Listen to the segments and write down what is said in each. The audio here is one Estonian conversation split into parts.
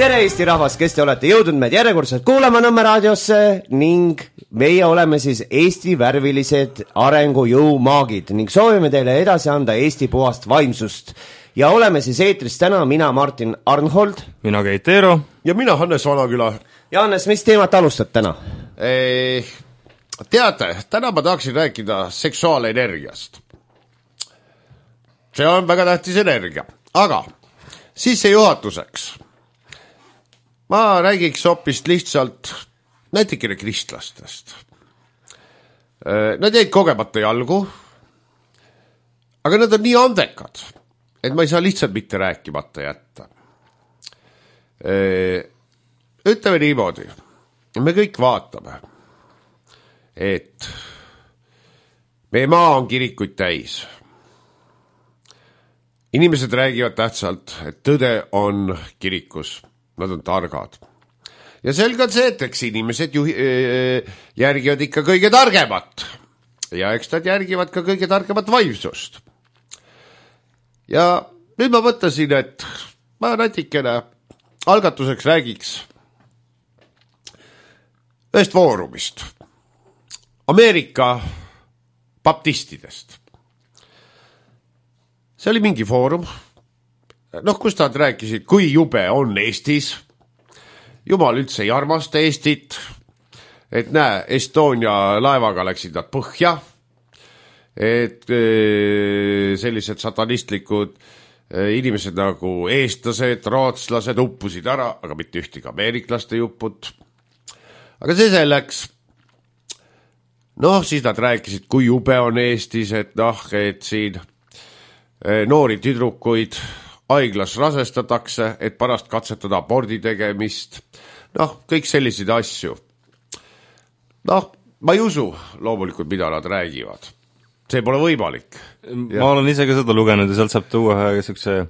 tere Eesti rahvas, kes te olete jõudnud meid järjekordselt kuulama Nõmme raadiosse ning meie oleme siis Eesti värvilised arengujõumaagid ning soovime teile edasi anda Eesti puhast vaimsust. Ja oleme siis eetris täna mina Martin Arnhold, mina Keit Eero ja mina Hannes Vanaküla. Ja Hannes, mis teemat alustad täna? Teate, täna ma tahaksin rääkida seksuaalenergiast. See on väga tähtis energia, aga sissejuhatuseks ma räägiks hoopis lihtsalt näitikene kristlastest. Nad jäid kogemata jalgu, aga nad on nii andekad, et ma ei saa lihtsalt mitte rääkimata jätta. Ütleme niimoodi, me kõik vaatame, et meie maa on kirikuid täis. Inimesed räägivad tähtsalt, et tõde on kirikus. Nad on targad. Ja selge on see, et eks inimesed järgivad ikka kõige targemat. Ja eks nad järgivad ka kõige targemat vaimsust. Ja nüüd ma mõtlesin, et ma natikene algatuseks räägiks ühest foorumist. Ameerika baptistidest. See oli mingi foorum. Kus nad rääkisid, kui jube on Eestis. Jumal üldse ei armasta Eestit. Et näe, Estonia laevaga läksid nad põhja. Et sellised satanistlikud inimesed nagu eestlased, rootslased uppusid ära, aga mitte ühtegi ameeriklaste jupput. Aga see selleks. Siis nad rääkisid, kui jube on Eestis, et siin noori tüdrukuid haiglas rasestatakse, et pärast katsetada abordi tegemist. Kõik selliseid asju. Ma ei usu loomulikult, mida nad räägivad. See pole võimalik. Ma olen ise ka seda lugenud ja sealt saab tuua ühe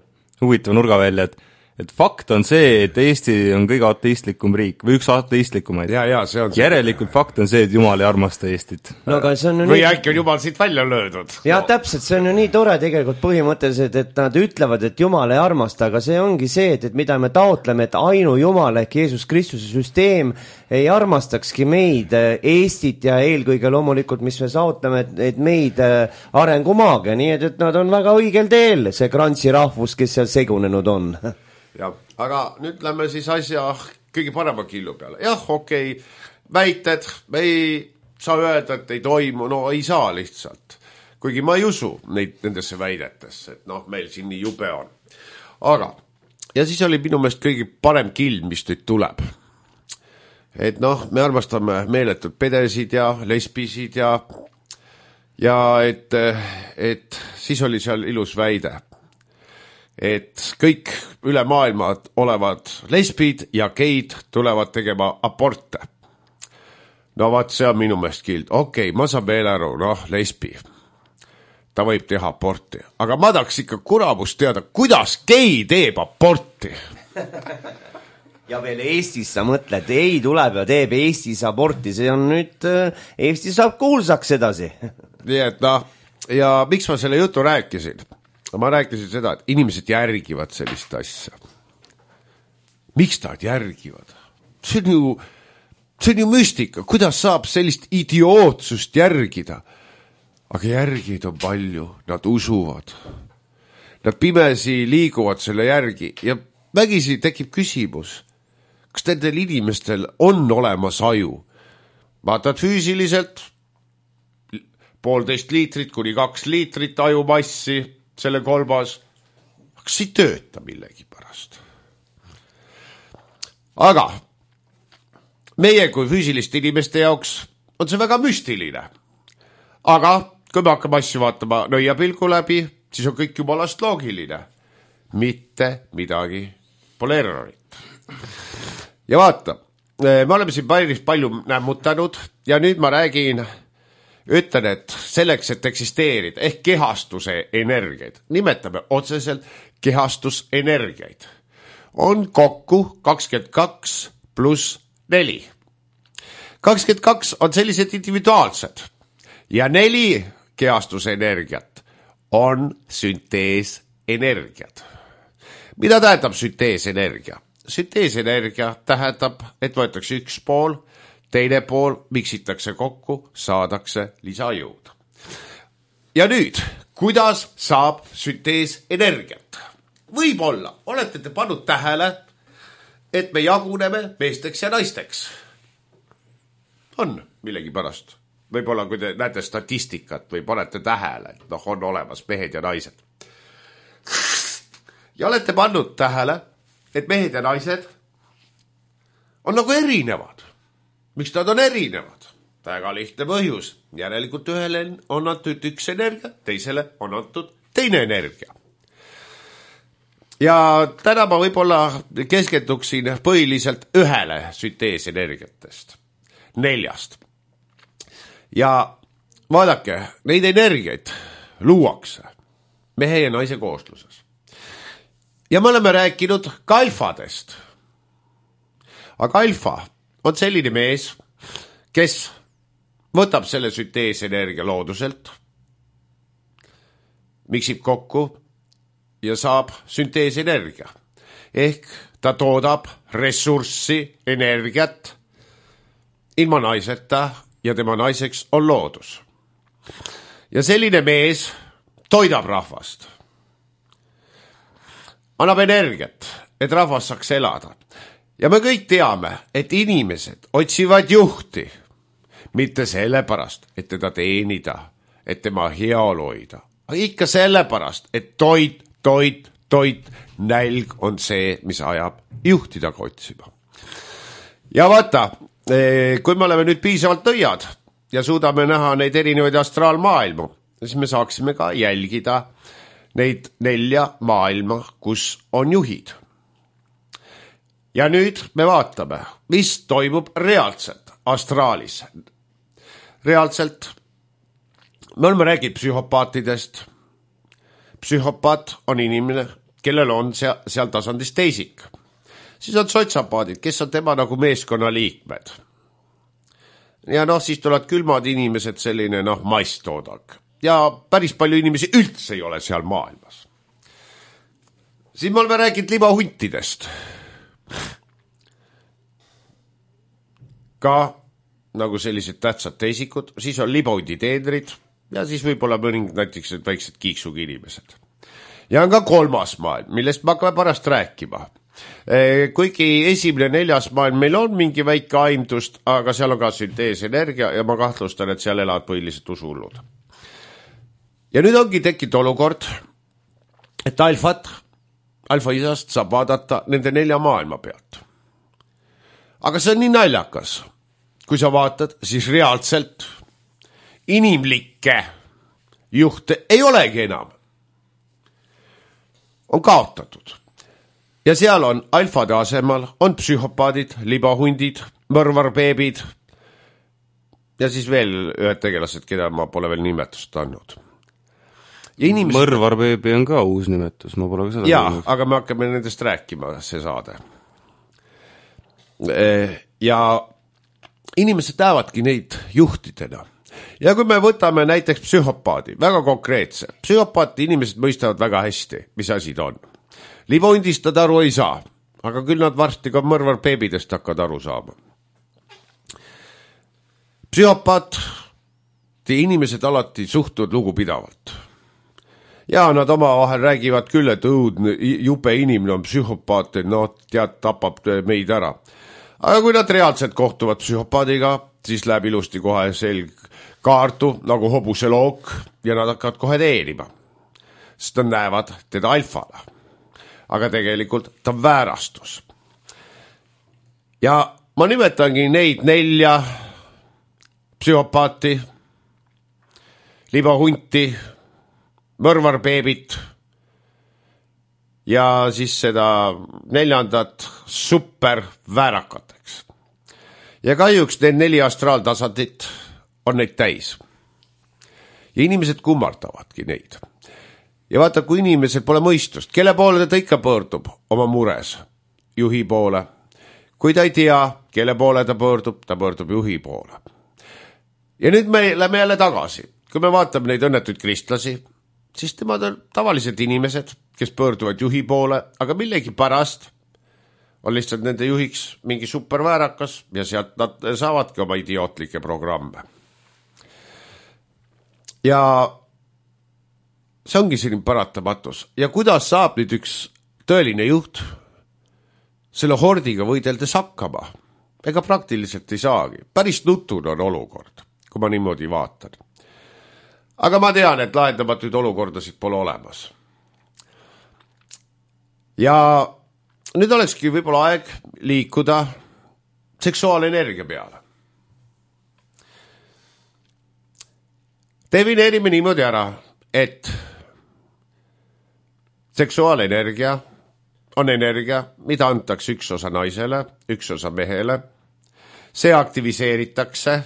huvitava nurga välja, et fakt on see, et Eesti on kõige ateistlikum riik või üks ateistlikumaid. Ja, see on see. Järelikult fakt on see, et Jumal ei armasta Eestit. Või äkki on Jumal siit välja löödud. Ja täpselt, see on ju nii tore tegelikult põhimõtteliselt, et nad ütlevad, et Jumal ei armasta, aga see ongi see, et mida me taotleme, et ainu Jumal ehk Jeesus Kristuse süsteem ei armastakski meid, Eestit ja eelkõige loomulikult, mis me saotleme, et meid arengumaaga, nii et nad on väga õigel teel, see Grantsi rahvus, kes seal segunenud on. Ja, aga nüüd lähme siis asja kõige parema killu peale. Jah, okei, väited, me ei saa öelda, et ei toimu, ei saa lihtsalt. Kuigi ma ei usu nendesse väidetesse, et meil siin nii jube on. Aga, ja siis oli minu meelest kõige parem kill, mis nüüd tuleb. Et me armastame meeletud pedesid ja lesbisid ja et siis oli seal ilus väide. Et kõik üle maailma olevad lesbid ja geid tulevad tegema aborte. Vaat see on minu meelest kild. Okei, ma saan veel aru, lesbi. Ta võib teha aborti. Aga ma tahaks ikka kuramust teada, kuidas gei teeb aborti. Ja veel Eestis sa mõtled, ei tuleb ja teeb Eestis aborti. See on nüüd, Eesti saab kuulsaks edasi. Nii et ja miks ma selle jutu rääkisin? Ma rääkisin seda, et inimesed järgivad sellist asja. Miks nad järgivad? See on ju müstika. Kuidas saab sellist idiootsust järgida? Aga järgid on palju. Nad usuvad. Nad pimesi liiguvad selle järgi. Ja vägisi tekib küsimus. Kas nendel inimestel on olemas aju? Vaatad füüsiliselt 1,5 liitrit kuni 2 liitrit ajumassi. Selle kolmas, kas ei tööta millegi pärast. Aga meie kui füüsiliste inimeste jaoks on see väga müstiline. Aga kui me hakkame asju vaatama nõiapilgu läbi, siis on kõik jumalast loogiline. Mitte midagi pole errorit. Ja vaata, me oleme siin päris palju nämmutanud ja nüüd ma räägin... Ütlen, et selleks, et eksisteerida, ehk kehastuse energiaid, nimetame otseselt kehastusenergiaid, on kokku 22 pluss 4. 22 on sellised individuaalsed ja 4 kehastusenergiat on sünteesenergiad. Mida tähendab sünteesenergia? Sünteesenergia tähendab, et võetakse üks pool, teine pool miksitakse kokku, saadakse lisajõud. Ja nüüd, kuidas saab sünteesenergiat? Võib-olla olete te pannud tähele, et me jaguneme meesteks ja naisteks. On millegi pärast. Võib-olla kui te näete statistikat või panete tähele, et on olemas mehed ja naised. Ja olete pannud tähele, et mehed ja naised on nagu erinevad. Miks nad on erinevad? Väga lihtne põhjus. Järelikult ühele on antud üks energia, teisele on antud teine energia. Ja täna ma võib-olla keskenduksin põhiliselt ühele sünteesenergiatest, 4. Ja vaadake, neid energiaid luuakse mehe ja naise koosluses. Ja me oleme rääkinud ka alfadest. Aga alfa on selline mees, kes võtab selle sünteesenergia looduselt, miksib kokku ja saab sünteesenergia. Ehk ta toodab ressurssi, energiat ilma naiseta ja tema naiseks on loodus. Ja selline mees toidab rahvast. Annab energiat, et rahvas saaks elada. Ja me kõik teame, et inimesed otsivad juhti, mitte sellepärast, et teda teenida, et tema heaolu hoida. Aga ikka sellepärast, et toit, nälg on see, mis ajab juhtidaga otsima. Ja vaata, kui me oleme nüüd piisavalt nõiad ja suudame näha neid erinevaid astraalmaailmu, siis me saaksime ka jälgida neid 4 maailma, kus on juhid. Ja nüüd me vaatame, mis toimub reaalselt astraalis. Reaalselt me oleme rääginud psühhopaatidest. Psühhopaat on inimene, kellel on seal tasandis teisik. Siis on sotsiopaadid, kes on tema nagu meeskonna liikmed. Ja siis tulevad külmad inimesed, selline masstoodak. Ja päris palju inimesi üldse ei ole seal maailmas. Siin me oleme rääkinud libahuntidest. Ka nagu sellised tähtsad teisikud, siis on libahundi teenrid ja siis võib-olla mõningad näiteks väiksed kiiksugi inimesed. Ja on ka 3. maailm, millest me hakkame pärast rääkima. Kuigi 1. ja 4. maailm meil on mingi väike aimdust, aga seal on ka sünteesenergia ja ma kahtlustan, et seal elavad põhiliselt usuhullud. Ja nüüd ongi tekkinud olukord, et alfa isast saab vaadata nende 4 maailma pealt. Aga see on nii naljakas. Kui sa vaatad, siis reaalselt inimlikke juhte ei olegi enam. On kaotatud. Ja seal on alfade asemal, on psühhopaadid, libahundid, mõrvarbeebid ja siis veel ühed tegelased, keda ma pole veel nimetust andnud. Mõrvarbeebi on ka uus nimetus, ma pole ka seda kuulnud. Aga me hakkame nendest rääkima, see saade. Ja inimesed näevadki neid juhtidena. Ja kui me võtame näiteks psühhopaadi, väga konkreetse, psühhopaati inimesed mõistavad väga hästi, mis asi ta on. Libahundist nad aru ei saa, aga küll nad varsti ka mõrvarbeebidest hakkavad aru saama. Psühhopaati inimesed alati suhtuvad lugupidavalt. Ja nad omavahel räägivad küll, et õudne, jupe inimene on psühhopaat, tapab meid ära. Aga kui nad reaalselt kohtuvad psühhopaadiga, siis läheb ilusti kohe selg kaartu nagu hobuse look ja nad hakkavad kohe teenima. Sest nad näevad teda alfana. Aga tegelikult ta on väärastus. Ja ma nimetangi neid 4 psühhopaati, libahunti, mõrvarbeebit ja siis seda 4. super väärakateks. Ja kahjuks need 4 astraaltasandit on neid täis. Ja inimesed kummardavadki neid. Ja vaata, kui inimesed pole mõistust, kelle poole ta ikka pöördub oma mures? Juhi poole. Kui ta ei tea, kelle poole ta pöördub juhi poole. Ja nüüd me lähme jälle tagasi. Kui me vaatame neid õnnetuid kristlasi, siis temad on tavalised inimesed, kes pöörduvad juhi poole, aga millegi pärast on lihtsalt nende juhiks mingi superväärakas ja sealt nad saavadki oma idiootlikke programme. Ja see ongi selline paratamatus. Ja kuidas saab nüüd üks tõeline juht selle hordiga võideldes hakkama? Ega praktiliselt ei saagi. Päris nutune on olukord, kui ma niimoodi vaatan. Aga ma tean, et lahendamatuid olukordasid pole olemas. Ja nüüd olekski võib-olla aeg liikuda seksuaalenergia peale. Defineerime niimoodi ära, et seksuaalenergia on energia, mida antakse üks osa naisele, üks osa mehele. See aktiviseeritakse,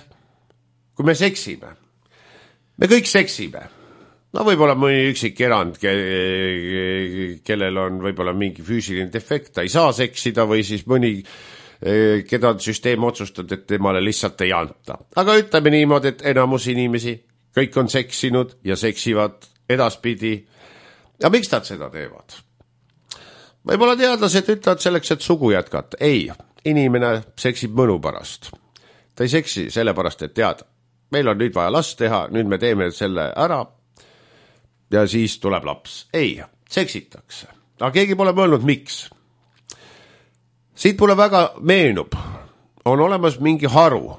kui me seksime. Me kõik seksime. No võib-olla mõni üksik erand, kellel on võib-olla mingi füüsiline defekt, ta ei saa seksida või siis mõni, keda süsteem otsustab, et temale lihtsalt ei anta. Aga ütleme niimoodi, et enamus inimesi, kõik on seksinud ja seksivad edaspidi. Ja miks nad seda teevad? Võib-olla teadlased ütlevad selleks, et sugu jätkata. Ei, inimene seksib mõnu pärast. Ta ei seksi sellepärast, et teada. Meil on nüüd vaja last teha, nüüd me teeme selle ära ja siis tuleb laps. Ei, seksitakse. Aga keegi pole mõelnud, miks. Siit mulle väga meenub. On olemas mingi haru.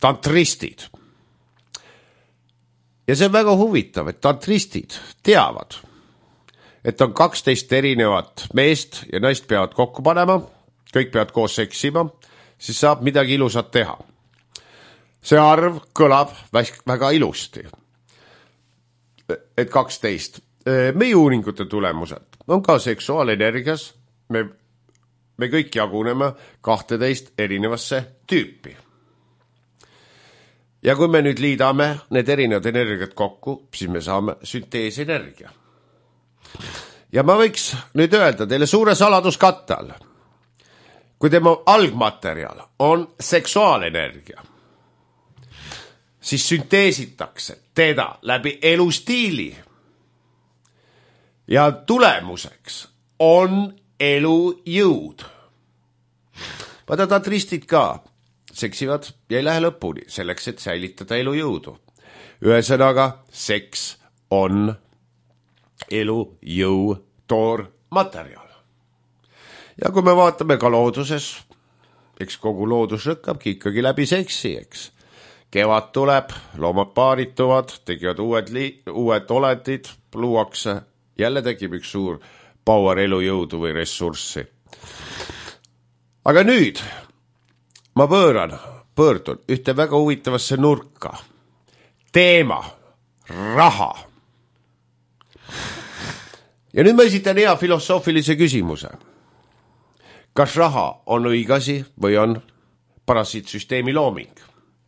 Tantristid. Ja see on väga huvitav, et tantristid teavad, et on 12 erinevat meest ja naist peavad kokku panema, kõik peavad koos seksima, siis saab midagi ilusat teha. See arv kõlab väga ilusti. Et 12. Meie uuringute tulemused on ka seksuaalenergias. Me kõik jaguneme 12 erinevasse tüüpi. Ja kui me nüüd liidame need erinevad energiat kokku, siis me saame sünteesenergia. Ja ma võiks nüüd öelda teile suure saladuskatte all. Kui tema algmaterjal on seksuaalenergia, siis sünteesitakse teda läbi elustiili. Ja tulemuseks on elujõud. Vaata tantristid ka seksivad ja ei lähe lõpuni selleks, et säilitada elujõudu. Ühesõnaga, seks on elujõu toormaterjal. Ja kui me vaatame ka looduses, eks kogu loodus rõkkabki ikkagi läbi seksi, eks. Kevad tuleb, loomad paarituvad, tegivad uued olendid, luuakse, jälle tekib üks suur power elujõudu või ressurssi. Aga nüüd ma pöördun ühte väga huvitavasse nurka. Teema, raha. Ja nüüd ma esitan hea filosoofilise küsimuse. Kas raha on õigasi või on parasiitsüsteemi looming?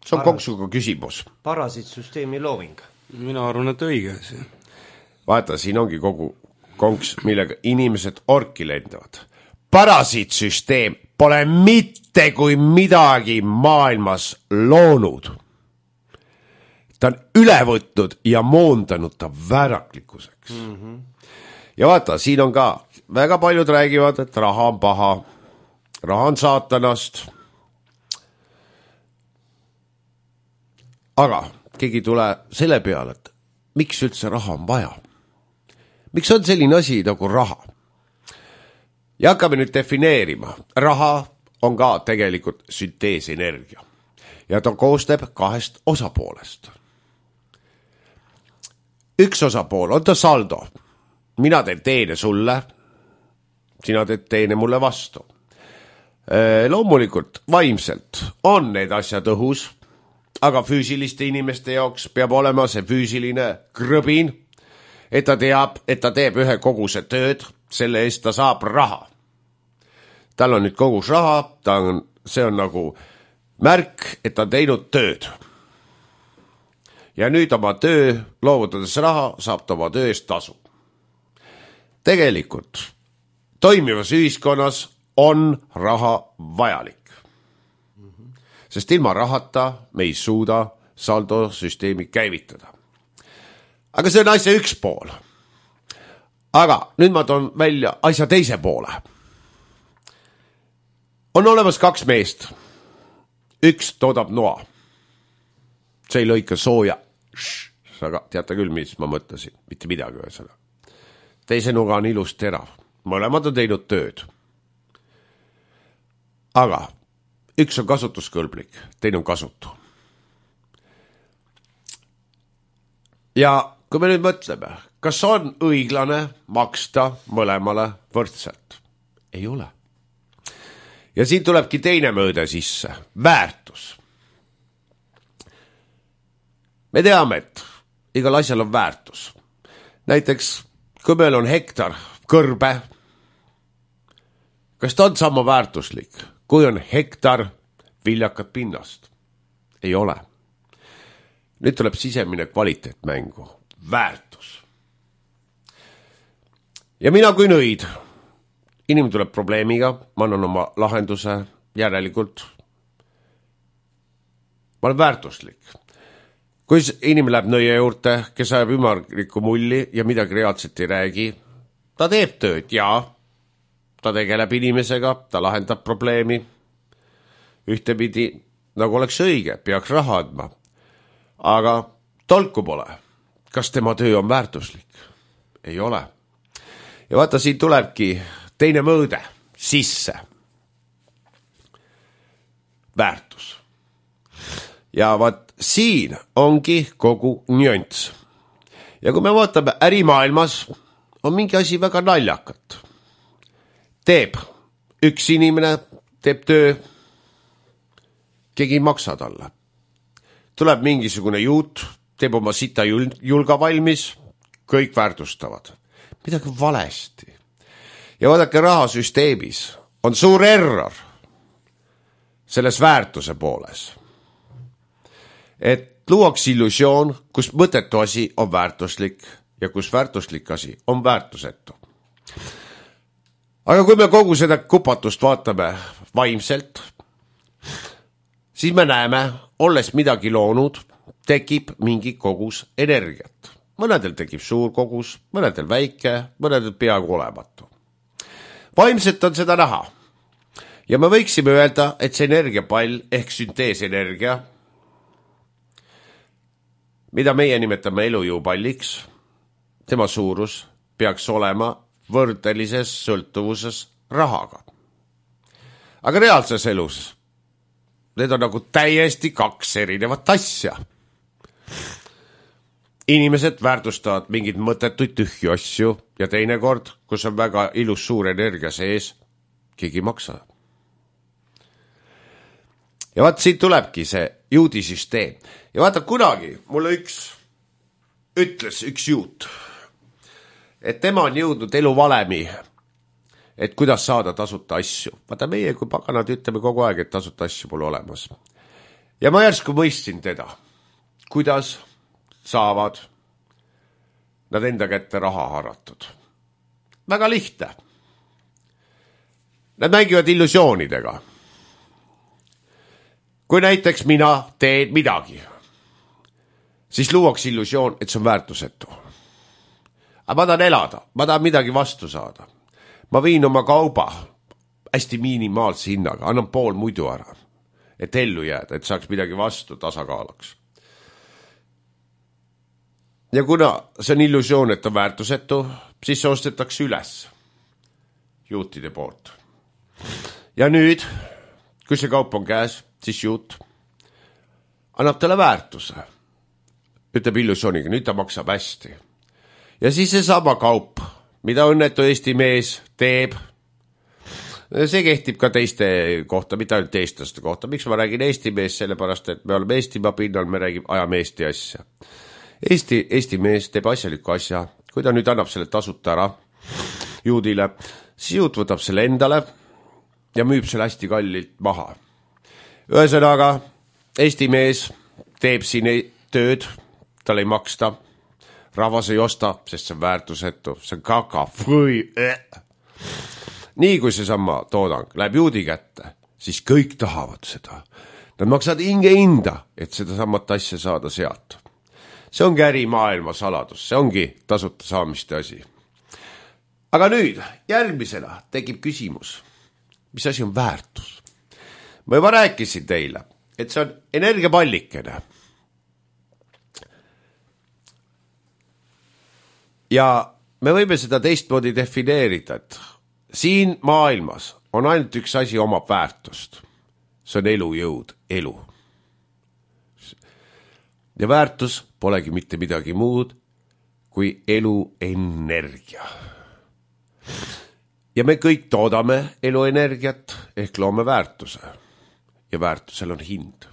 See on konksuga küsimus. Parasiitsüsteemi looming. Mina arvan, et õigasi. Vaata, siin ongi kogu konks, millega inimesed orki lendavad. Parasiitsüsteem pole mitte kui midagi maailmas loonud. Ta on üle võtnud ja moondanud ta vääraklikkuseks. Ja vaata, siin on ka, väga paljud räägivad, et raha on paha, raha on saatanast. Aga keegi tule selle peale, et miks üldse raha on vaja? Miks on selline asi nagu raha? Ja hakkame nüüd defineerima. Raha on ka tegelikult sünteesenergia. Ja ta koosneb 2 osapoolest. Üks osapool on ta saldo. Mina teen teene sulle, sina teed teene mulle vastu. Loomulikult vaimselt on need asjad õhus, aga füüsiliste inimeste jaoks peab olema see füüsiline krõbin, et ta teab, et ta teeb ühe koguse tööd, selle eest ta saab raha. Tal on nüüd kogus raha, see on nagu märk, et ta on teinud tööd. Ja nüüd oma töö, loovutades raha, saab ta oma töö eest tasu. Tegelikult toimivas ühiskonnas on raha vajalik. Sest ilma rahata me ei suuda saldosüsteemi käivitada. Aga see on asja üks pool. Aga nüüd ma toon välja asja teise poole. on olemas 2 meest. Üks toodab noa. See ei lõika sooja. Aga teate küll, mis ma mõtlesin. Mitte midagi ühesõnaga. Teise nuga on ilus terav. Mõlemad on teinud tööd. Aga üks on kasutuskõlblik, teine on kasutu. Ja kui me nüüd mõtleme, kas on õiglane maksta mõlemale võrdselt? Ei ole. Ja siin tulebki teine mõõde sisse. Väärtus. Me teame, et igal asjal on väärtus. Näiteks, kui meil on hektar kõrbe, kas ta on sama väärtuslik, kui on hektar viljakat pinnast? Ei ole. Nüüd tuleb sisemine kvaliteet mängu. Väärtus. Ja mina kui nõid, inimene tuleb probleemiga, ma annan oma lahenduse järelikult. Ma olen väärtuslik. Kui inimene läheb nõie juurde, kes ajab ümarlikku mulli ja midagi reaalselt ei räägi, ta teeb tööd ja ta tegeleb inimesega, ta lahendab probleemi. Ühtepidi, nagu oleks õige, peaks raha andma. Aga tolku pole. Kas tema töö on väärtuslik? Ei ole. Ja vaata, siin tulebki teine mõõde sisse. Väärtus. Ja vaat siin ongi kogu nüanss. Ja kui me vaatame ärimaailmas, on mingi asi väga naljakat. Teeb üks inimene, teeb töö, keegi ei maksa talle. Tuleb mingisugune juut, teeb oma sita julga valmis, kõik väärtustavad. Midagi valesti. Ja vaadake, rahasüsteemis on suur error selles väärtuse pooles. Et luuaks illusioon, kus mõttetu asi on väärtuslik ja kus väärtuslik asi on väärtusetu. Aga kui me kogu seda kupatust vaatame vaimselt, siis me näeme, olles midagi loonud, tekib mingi kogus energiat. Mõnedel tekib suur kogus, mõnedel väike, mõnedel peaaegu olematu. Vaimselt on seda näha. Ja me võiksime öelda, et see energiapall ehk sünteesenergia, mida meie nimetame elujõupalliks, tema suurus peaks olema võrdelises sõltuvuses rahaga. Aga reaalses elus need on nagu täiesti 2 erinevat asja. Inimesed väärtustavad mingid mõttetuid tühju asju ja teinekord, kus on väga ilus suur energia sees, keegi ei maksa. Ja vaat siin tulebki see juudisüsteem. Ja vaata, kunagi mulle ütles üks juut, et tema on jõudnud eluvalemi, et kuidas saada tasuta asju. Vaata, meie kui paganad ütleme kogu aeg, et tasuta asju pole olemas. Ja ma järsku mõistsin teda, kuidas saavad nad enda kätte raha haratud. Väga lihtne. Nad mängivad illusioonidega. Kui näiteks mina teen midagi, siis luuaks illusioon, et see on väärtusetu. Aga ma tahan elada, ma tahan midagi vastu saada. Ma viin oma kauba hästi minimaalse hinnaga, annan pool muidu ära, et ellu jääda, et saaks midagi vastu tasakaalaks. Ja kuna see on illusioon, et on väärtusetu, siis see ostetakse üles juutide poolt. Ja nüüd, kui see kaup on käes, siis juut annab talle väärtuse. Ütleb illusiooniga, nüüd ta maksab hästi. Ja siis see sama kaup, mida õnnetu Eesti mees teeb, see kehtib ka teiste kohta, mitte ainult eestlaste kohta. Miks ma räägin Eesti mees? Sellepärast, et me oleme Eestimaa pinnal, me ajame Eesti asja. Eesti mees teeb asjaliku asja, kui ta nüüd annab selle tasuta ära juudile, siis juut võtab selle endale ja müüb selle hästi kallilt maha. Ühesõnaga, Eesti mees teeb siin tööd, tal ei maksta, rahvas ei osta, sest see on väärtusetu, see on kaka, Nii kui see sama toodang läheb juudi kätte, siis kõik tahavad seda. Nad maksavad hinda, et seda samat asja saada sealt. See ongi ärimaailma saladus, see ongi tasuta saamiste asi. Aga nüüd järgmisena tekib küsimus, mis asi on väärtus? ma juba rääkisin teile, et see on energiapallikene. Ja me võime seda teistmoodi defineerida, et siin maailmas on ainult üks asi omab väärtust. See on elujõud, elu. Ja väärtus polegi mitte midagi muud kui eluenergia. Ja me kõik toodame eluenergiat ehk loome väärtuse. Ja väärtusel on hind.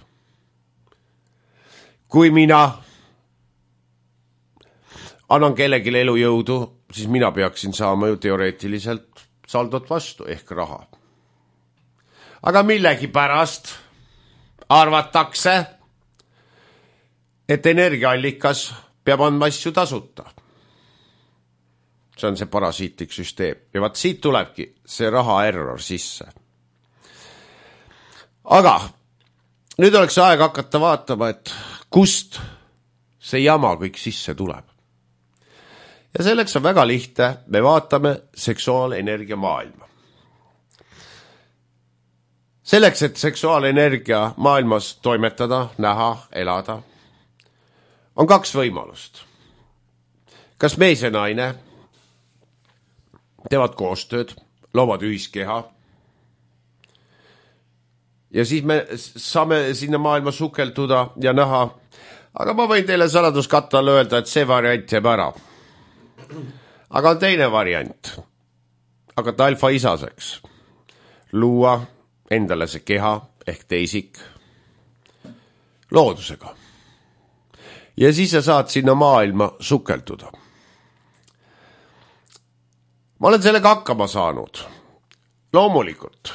Kui mina annan kellelegi elujõudu, siis mina peaksin saama ju teoreetiliselt saldot vastu ehk raha. Aga millegi pärast arvatakse, et energiaallikas peab andma asju tasuta. See on see parasiitlik süsteem. Ja vaat siit tulebki see raha error sisse. Aga nüüd oleks aeg hakata vaatama, et kust see jama kõik sisse tuleb. Ja selleks on väga lihtne, me vaatame seksuaalenergia maailma. Selleks, et seksuaalenergia maailmas toimetada, näha, elada, on kaks võimalust. Kas mees ja naine teevad koostööd, loovad ühiskeha ja siis me saame sinna maailma sukelduda ja näha, aga ma võin teile saladuskattal öelda, et see variant jääb ära. Aga on teine variant. Hakata alfa isaseks. Luua endale see keha ehk teisik loodusega. Ja siis sa saad sinna maailma sukelduda. Ma olen sellega hakkama saanud. Loomulikult.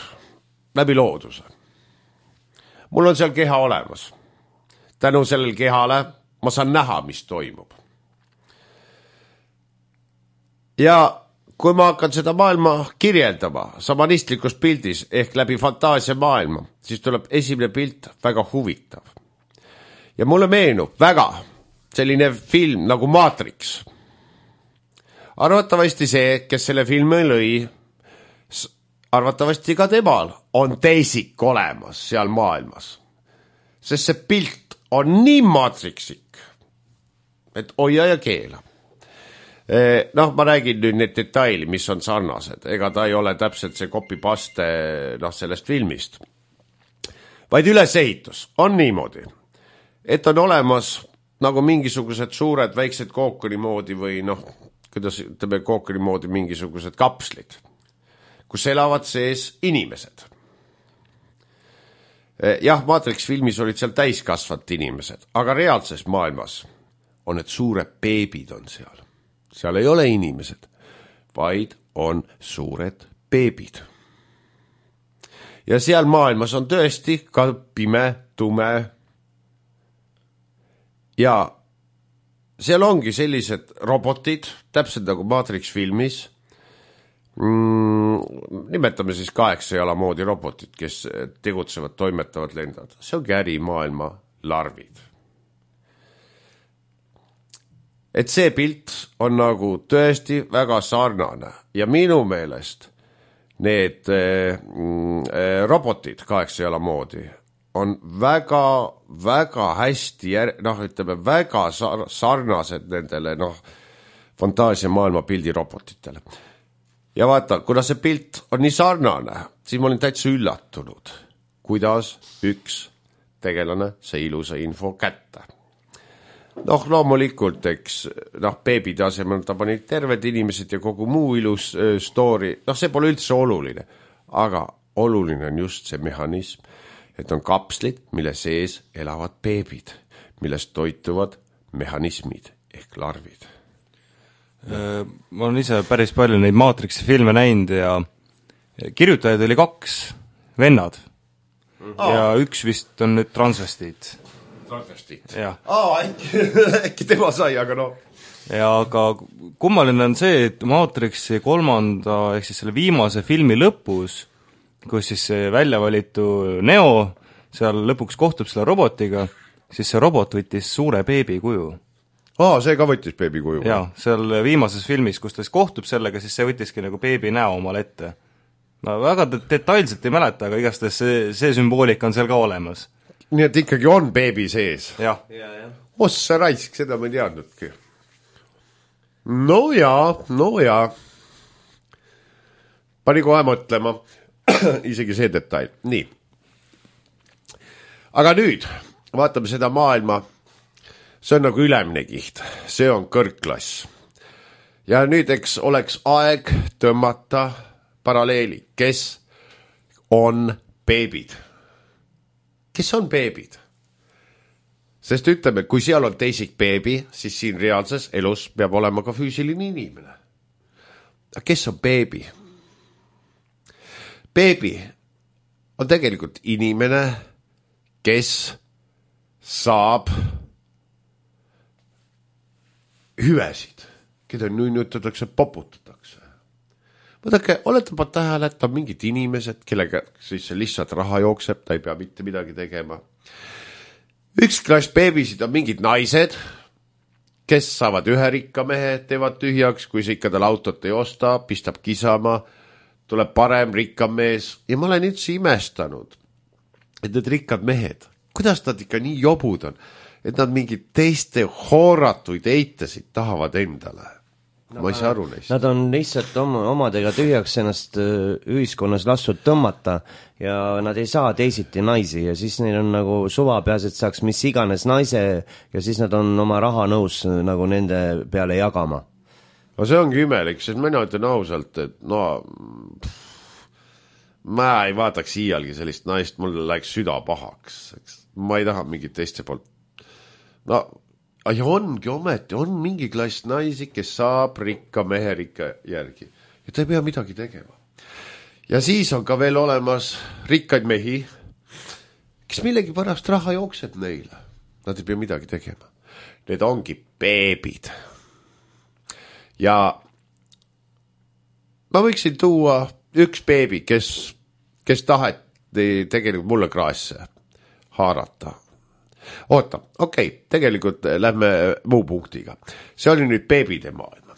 Läbi looduse. Mul on seal keha olemas. Tänu sellel kehale ma saan näha, mis toimub. Ja kui ma hakkan seda maailma kirjeldama samanistlikus pildis ehk läbi fantaasia maailma, siis tuleb esimene pilt väga huvitav. Ja mulle meenub väga selline film nagu Matrix. Arvatavasti see, kes selle filmi lõi, arvatavasti ka temal on teisik olemas seal maailmas. Sest see pilt on nii matrixik, et hoia ja keela. Noh, ma räägin nüüd need detaili, mis on sarnased. Ega ta ei ole täpselt see copy-paste sellest filmist. Vaid ülesehitus on niimoodi, et on olemas nagu mingisugused suured väiksed kookoni moodi või kuidas ütleme kookoni moodi mingisugused kapslid, kus elavad sees inimesed. Jah, Matrix filmis olid seal täiskasvad inimesed, aga reaalses maailmas on need suured beebid on seal. Seal ei ole inimesed, vaid on suured beebid. Ja seal maailmas on tõesti ka pime, tume. Ja seal ongi sellised robotid, täpselt nagu Matrix filmis. Nimetame siis 8 jala moodi robotid, kes tegutsevad, toimetavad, lendavad. See ongi ärimaailma larvid. Et see pilt on nagu tõesti väga sarnane ja minu meelest need robotid 8 jala moodi on väga, väga hästi, ütleme väga sarnased nendele fantaasia maailma pildi robotitele. Ja vaata, kuna see pilt on nii sarnane, siis ma olin täitsa üllatunud, kuidas üks tegelane see ilusa info kätte. Loomulikult, eks, beebide asemel ta pani terved inimesed ja kogu muu ilus story, see pole üldse oluline, aga oluline on just see mehhanism, et on kapslid, mille sees elavad beebid, millest toituvad mehhanismid ehk larvid. Ma olen ise päris palju neid Matrixi filme näinud ja kirjutajaid oli 2 vennad ja üks vist on nüüd transvestiit. Äkki tema sai, aga Ja aga kummaline on see, et Matrixi 3. ehk siis selle viimase filmi lõpus, kus siis see välja valitu Neo seal lõpuks kohtub selle robotiga, siis see robot võttis suure beebi kuju. See ka võttis beebi kuju? Jaa, seal viimases filmis, kus ta siis kohtub sellega, siis see võttiski nagu beebi näo omale ette. no väga detailselt ei mäleta, aga igastahes see sümboolika on seal ka olemas. Nii et ikkagi on beebi sees. Jah. Ossa raisk, seda ma ei teadnudki. No jaa. Pani kohe mõtlema. Isegi see detail. Nii. Aga nüüd vaatame seda maailma. See on nagu ülemine kiht. See on kõrgklass. Ja nüüd eks oleks aeg tõmmata paralleeli. Kes on beebid? Kes on beebid? Sest ütleme, kui seal on teisik beebi, siis siin reaalses elus peab olema ka füüsiline inimene. Aga kes on beebi? Beebi on tegelikult inimene, kes saab hüvesid, keda nunnutatakse, poputatakse. Vaadake, olete pa tähele, et on mingid inimesed, kellega siis lihtsalt raha jookseb, ta ei pea mitte midagi tegema. Üks klass beebisid on mingid naised, kes saavad ühe rikka mehe, teevad tühjaks, kui see ikka tal autot ei osta, pistab kisama, tuleb parem rikkam mees. Ja ma olen üldse imestanud, et need rikkad mehed, kuidas nad ikka nii jobud on, et nad mingid teiste hooratuid eitasid tahavad endale. Ma ei saa aru neist. Nad on lihtsalt omadega tühjaks ennast ühiskonnas lastud tõmmata ja nad ei saa teisiti naisi ja siis neil on nagu suva peas, et saaks mis iganes naise ja siis nad on oma raha nõus nagu nende peale jagama. No see ongi imelik, sest mina ütlen ausalt, et ma ei vaataks iialgi sellist naist, mul läheks süda pahaks. Ma ei taha mingit teiste poolt. Ja ongi ometi, on mingi klass naisi, kes saab rikka mehe rikka järgi. Ja ta ei pea midagi tegema. Ja siis on ka veel olemas rikkaid mehi, kes millegi pärast raha jookseb neile. Nad ei pea midagi tegema. Need ongi beebid. Ja ma võiksin tuua üks beebi, kes taheti tegelikult mulle kraasse haarata. Oota, okei, tegelikult lähme muu punktiga. See oli nüüd beebide maailma.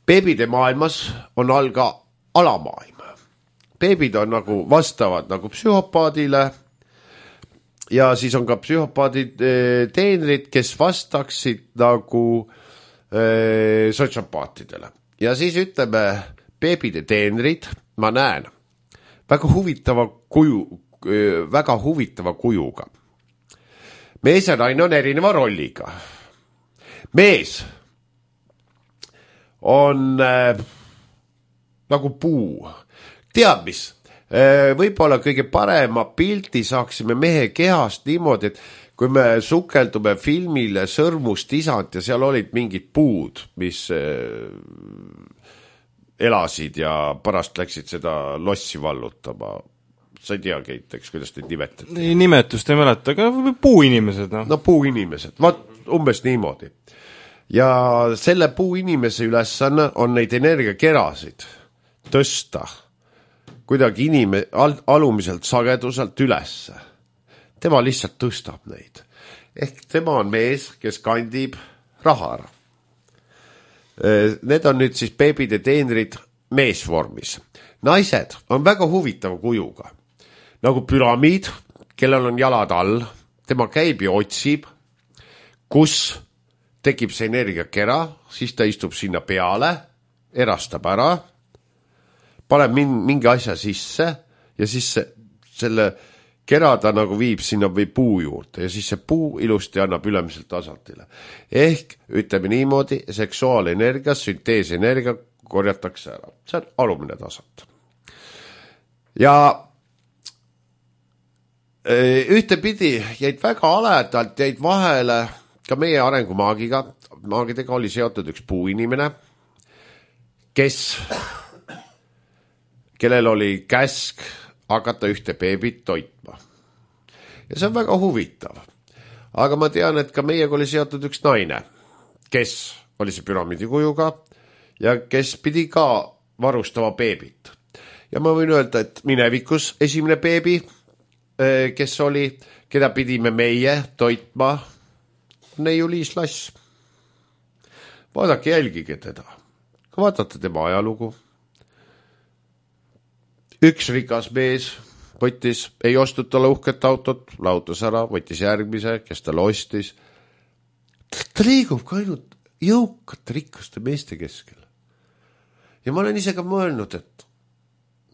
Beebide maailmas on all ka alamaailm. Beebid on nagu vastavad nagu psühhopaadile ja siis on ka psühhopaadid teenrid, kes vastaksid nagu sotsiopaatidele. Ja siis ütleme, beebide teenrid, ma näen, väga huvitava kujuga. Mees ja naine on erineva rolliga. Mees on nagu puu. Tead mis? Võib-olla kõige parema pildi saaksime mehe kehast niimoodi, et kui me sukeldume filmile Sõrmust isand ja seal olid mingid puud, mis elasid ja pärast läksid seda lossi vallutama. Sa ei tea, Keit, eks, kuidas neid nimetati? Nimetust ei mäleta, aga puuinimesed. No puuinimesed, umbes niimoodi. Ja selle puuinimese ülesanne on neid energiakerasid tõsta kuidagi alumiselt sageduselt ülesse. Tema lihtsalt tõstab neid. Ehk tema on mees, kes kandib raha ära. Need on nüüd siis beebide teenrid meesvormis. Naised on väga huvitava kujuga. Nagu püramiid, kellel on jalad all, tema käib ja otsib, kus tekib see energiakera, siis ta istub sinna peale, erastab ära, paneb mingi asja sisse ja siis selle kera ta nagu viib sinna või puu juurde ja siis see puu ilusti annab ülemiselt tasandile. Ehk ütleme niimoodi, seksuaalenergia, sünteesenergia korjatakse ära. See on alumine tasand. Ja ühtepidi jäid väga aledalt, jäid vahele ka meie arengumaagiga. Maagidega oli seotud üks puuinimene, kellel oli käsk hakata ühte beebit toitma. Ja see on väga huvitav. Aga ma tean, et ka meiega oli seotud üks naine, kes oli see püramiidi kujuga ja kes pidi ka varustama beebit. Ja ma võin öelda, et minevikus esimene beebi, kes oli, keda pidime meie toitma, Neiu-Liis Lass. Vaadake, jälgige teda. Vaadate tema ajalugu. üks rikas mees võttis, ei ostnud talle uhket autot, lahutas ära, võttis järgmise, kes talle ostis. Ta liigub ka ainult jõukate rikaste meeste keskel. Ja ma olen ise ka mõelnud, et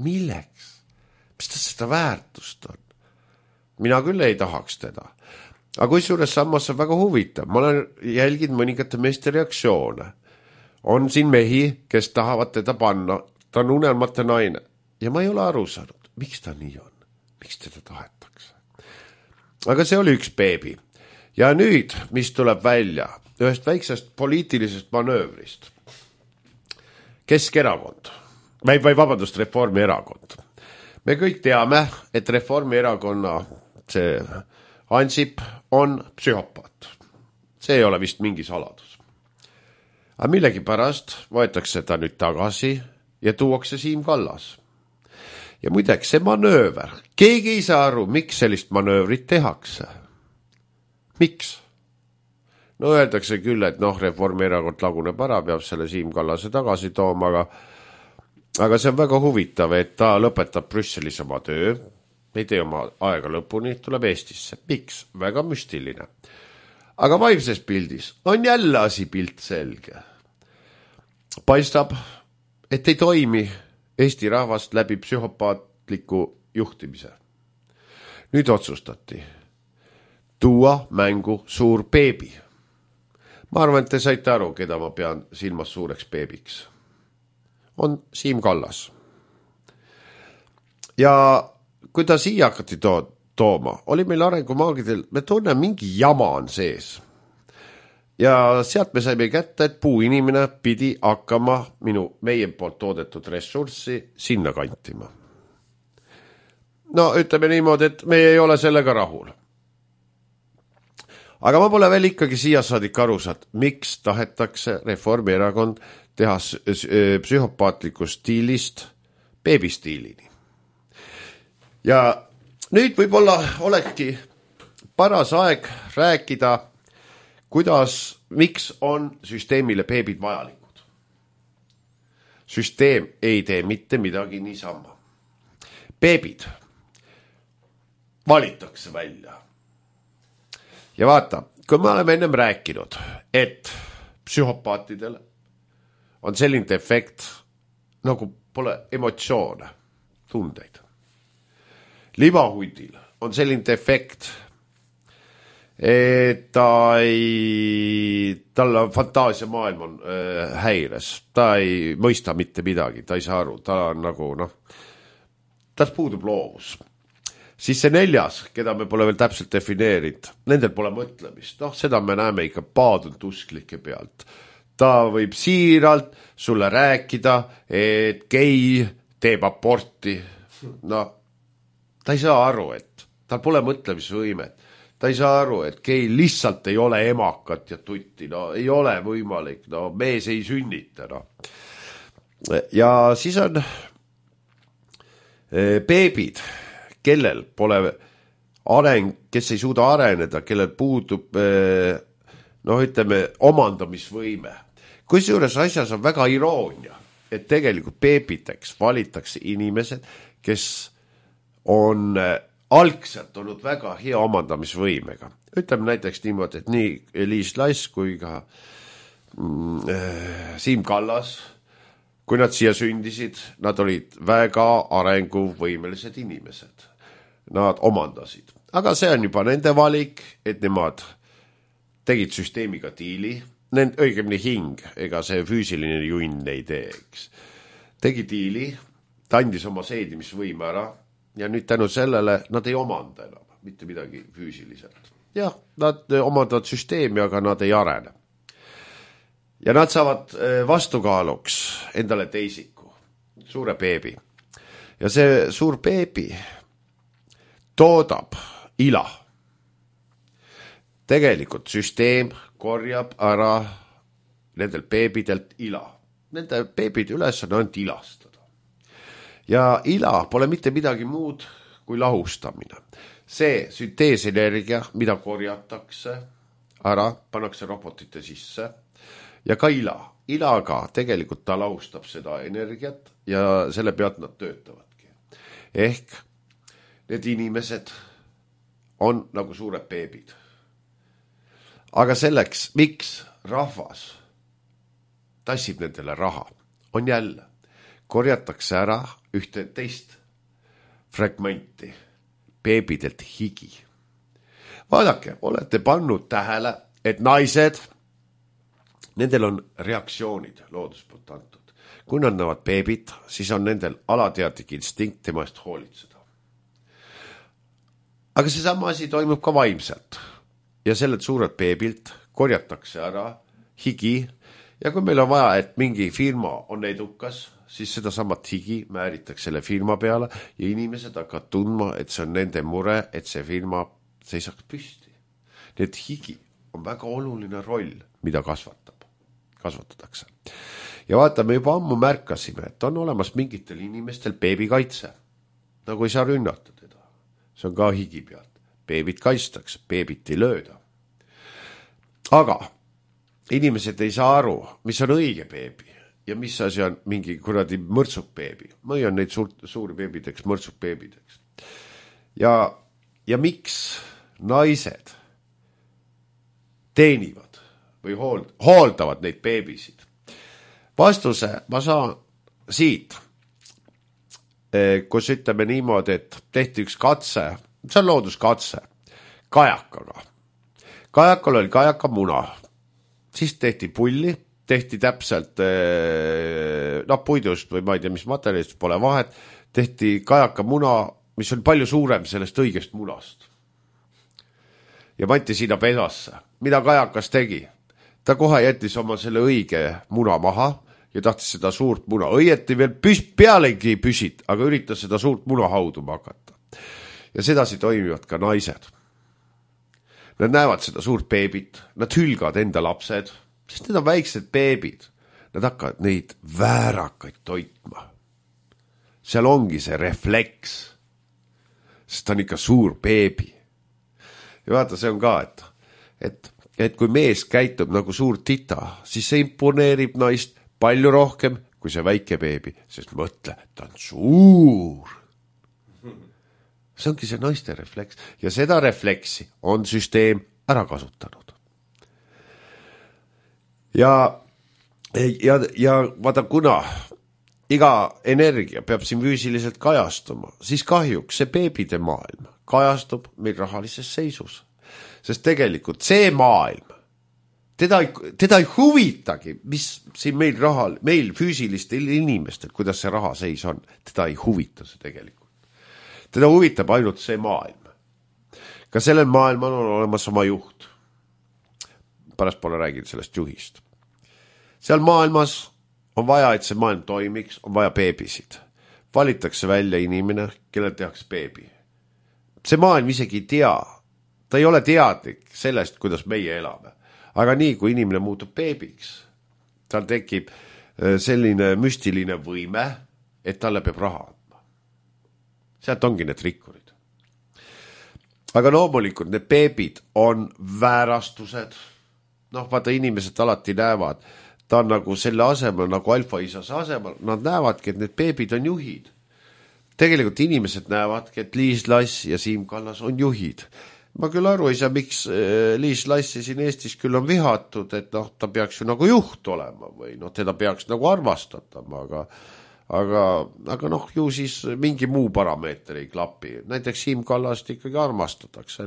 milleks? Mis ta seda väärtust on? Mina küll ei tahaks teda. Aga kui suures sammas on väga huvitav, ma olen jälginud mõningate meeste reaktsioone. On siin mehi, kes tahavad teda panna, ta on unelmate naine. Ja ma ei ole aru saanud, miks ta nii on, miks teda tahetakse. Aga see oli üks beebi. Ja nüüd, mis tuleb välja ühest väiksest poliitilisest manöövrist. Keskerakond, või vabandust, Reformierakond. Me kõik teame, et Reformierakonna see Ansip on psühhopaat. See ei ole vist mingi saladus. Aga millegi pärast võetakse ta nüüd tagasi ja tuuakse Siim Kallas. Ja muideks, see manööver, keegi ei saa aru, miks sellist manöövrit tehakse. Miks? No öeldakse küll, et Reformierakond laguneb ära, peab selle Siim Kallase tagasi tooma, aga see on väga huvitav, et ta lõpetab Brüsselis oma töö, ei tee oma aega lõpuni, tuleb Eestisse. Miks? Väga müstiline. Aga vaimses pildis on jälle asi pilt selge. Paistab, et ei toimi Eesti rahvast läbi psühhopaatliku juhtimise. Nüüd otsustati tuua mängu suur beebi. Ma arvan, et te saite aru, keda ma pean silmas suureks beebiks. On Siim Kallas. Ja kui ta siia hakati tooma, oli meil arengumaagidel, me tunneme mingi jama on sees. Ja sealt me saime kätte, et puuinimene pidi hakkama meie poolt toodetud ressurssi sinna kantima. No ütleme niimoodi, et me ei ole sellega rahul. Aga ma pole veel ikkagi siia saadik aru saanud, miks tahetakse Reformierakond teha psühhopaatliku stiilist beebistiilini. Ja nüüd võib-olla olekski paras aeg rääkida, miks on süsteemile beebid vajalikud. Süsteem ei tee mitte midagi niisama. Beebid valitakse välja. Ja vaata, kui me oleme ennem rääkinud, et psühhopaatidel on selline efekt, nagu pole emotsioone, tundeid. Libahundil on selline efekt, et tal fantaasia maailm on häires, ta ei mõista mitte midagi, ta ei saa aru, ta on nagu tal puudub loovus. Siis see 4, keda me pole veel täpselt defineerinud, nendel pole mõtlemist, seda me näeme ikka paadunud usklike pealt. Ta võib siiralt sulle rääkida, et gei teeb aborti, ta ei saa aru, et tal pole mõtlemisvõimet. Ta ei saa aru, et gei lihtsalt ei ole emakat ja tutti, ei ole võimalik, mees ei sünnita. Ja siis on beebid, kellel pole kes ei suuda areneda, kellel puudub, ütleme, omandamisvõime. Kusjuures asjas on väga iroonia, et tegelikult beebiteks valitakse inimesed, kes on algselt olnud väga hea omandamisvõimega. Ütleme näiteks niimoodi, et nii Liis Lass kui ka Siim Kallas, kui nad siia sündisid, nad olid väga arenguvõimelised inimesed. Nad omandasid. Aga see on juba nende valik, et nemad tegid süsteemiga diili, õigemini hing, ega see füüsiline junn ei teeks. Tegi diili, ta andis oma seedimisvõime ära, ja nüüd tänu sellele nad ei omanda enam mitte midagi füüsiliselt. Jah, nad omandavad süsteemi, aga nad ei arene. Ja nad saavad vastukaaluks endale teisiku, suure beebi. Ja see suur beebi toodab ila. Tegelikult süsteem korjab ära nendel beebidelt ila. Nende beebid üles on ainult ilastada. Ja ila pole mitte midagi muud kui lahustamine. See sünteesenergia, mida korjatakse ära, pannakse robotite sisse ja ka ila. Ilaga tegelikult ta lahustab seda energiat ja selle pealt nad töötavadki. ehk need inimesed on nagu suured beebid. Aga selleks, miks rahvas tassib nendele raha, on jälle, korjatakse ära ühte teist fragmenti, beebidelt higi. Vaadake, olete pannud tähele, et naised, nendel on reaktsioonid loodus poolt antud. Kui nad näevad beebit, siis on nendel alateadlik instinkt tema eest hoolitseda. Aga see sama asi toimub ka vaimselt. Ja sellelt suurelt beebilt korjatakse ära higi ja kui meil on vaja, et mingi firma on edukas, siis seda samat higi määritakse selle firma peale ja inimesed hakkavad tundma, et see on nende mure, et see firma seisaks püsti. Nii et higi on väga oluline roll, mida kasvatatakse. Ja vaata, me juba ammu märkasime, et on olemas mingitel inimestel beebikaitse. Nagu ei saa rünnata teda. See on ka higi pealt. Beebit kaistaks, beebit ei lööda. Aga inimesed ei saa aru, mis on õige beebi ja mis asi on mingi kuradi mõrtsuk beebi. Ma hoian neid suuri beebideks, mõrtsuk beebideks. Ja miks naised teenivad või hooldavad neid beebisid? Vastuse ma saan siit, kus ütleme niimoodi, et tehti üks katse, see on looduskatse, kajakaga. Kajakal oli kajaka muna, siis tehti pulli, tehti täpselt puidust või ma ei tea, mis materjalist, pole vahet, tehti kajaka muna, mis oli palju suurem sellest õigest munast. Ja pandi sinna pesasse. Mida kajakas tegi? Ta kohe jättis oma selle õige muna maha ja tahtis seda suurt muna. Õieti veel pealegi püsit, aga üritas seda suurt muna hauduma hakata. Ja sedasi toimivad ka naised. Nad näevad seda suurt beebit, nad hülgavad enda lapsed, sest need on väiksed beebid. Nad hakkavad neid väärakaid toitma. Seal ongi see refleks, sest ta on ikka suur beebi. Ja vaata, see on ka, et kui mees käitub nagu suur tita, siis see imponeerib naist palju rohkem kui see väike beebi, sest mõtle, ta on suur. See ongi see naiste refleks ja seda refleksi on süsteem ära kasutanud. Ja vaata, kuna iga energia peab siin füüsiliselt kajastuma, siis kahjuks see beebide maailm kajastub meil rahalises seisus. Sest tegelikult see maailm, teda ei huvitagi, mis siin meil füüsilistel inimestel, kuidas see raha seis on, teda ei huvita see tegelikult. Teda huvitab ainult see maailm. Ka sellel maailmal on olemas oma juht. Pärast pole rääginud sellest juhist. Seal maailmas on vaja, et see maailm toimiks, on vaja beebisid. Valitakse välja inimene, kellel tehakse beebi. See maailm isegi ei tea. Ta ei ole teadlik sellest, kuidas meie elame. Aga nii, kui inimene muutub beebiks, tal tekib selline müstiline võime, et talle peab raha andma. Sealt ongi need rikkurid. Aga loomulikult need beebid on väärastused. Vaata, inimesed alati näevad, ta on nagu selle asemel, nagu alfaisase asemel, nad näevadki, et need beebid on juhid. Tegelikult inimesed näevadki, et Liis Lass ja Siim Kallas on juhid. Ma küll aru ei saa, miks Liis Lassi siin Eestis küll on vihatud, et ta peaks ju nagu juht olema või teda peaks nagu armastatama, aga ju siis mingi muu parameeter ei klapi. Näiteks Siim Kallast ikkagi armastatakse.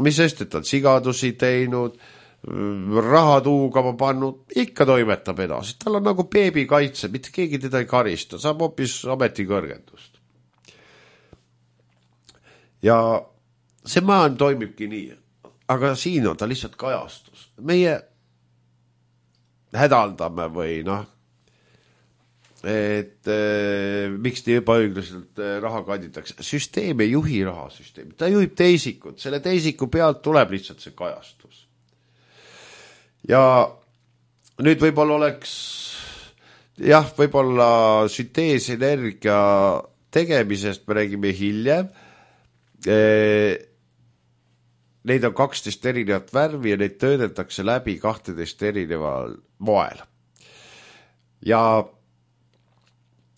Mis sest, et ta on sigadusi teinud, raha tuugama pannud, ikka toimetab edasi. Tal on nagu beebi kaitse, mitte keegi teda ei karista, saab hoopis ametikõrgendust. Ja see maailm toimibki nii, aga siin on ta lihtsalt kajastus. Meie hädaldame või et miks nii ebaõiglaselt raha kanditakse. Süsteem ei juhi rahasüsteemi, ta juhib teisikut, selle teisiku pealt tuleb lihtsalt see kajastus. Ja nüüd võib-olla oleks, võib-olla sünteesenergia tegemisest me räägime hiljem. Neid on 12 erinevat värvi ja neid töödeldakse läbi 12 erineval moel. Ja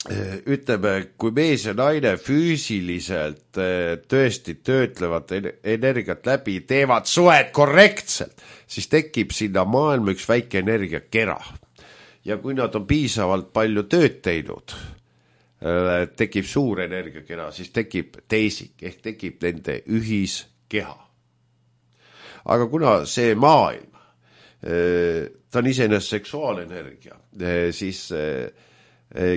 ütleme, kui mees ja naine füüsiliselt tõesti töötlevad energiat läbi, teevad suhet korrektselt, siis tekib sinna maailma üks väike energiakera. Ja kui nad on piisavalt palju tööd teinud, tekib suur energiakera, siis tekib teisik, ehk tekib nende ühiskeha. Aga kuna see maailm, ta on iseenesest seksuaalenergia, siis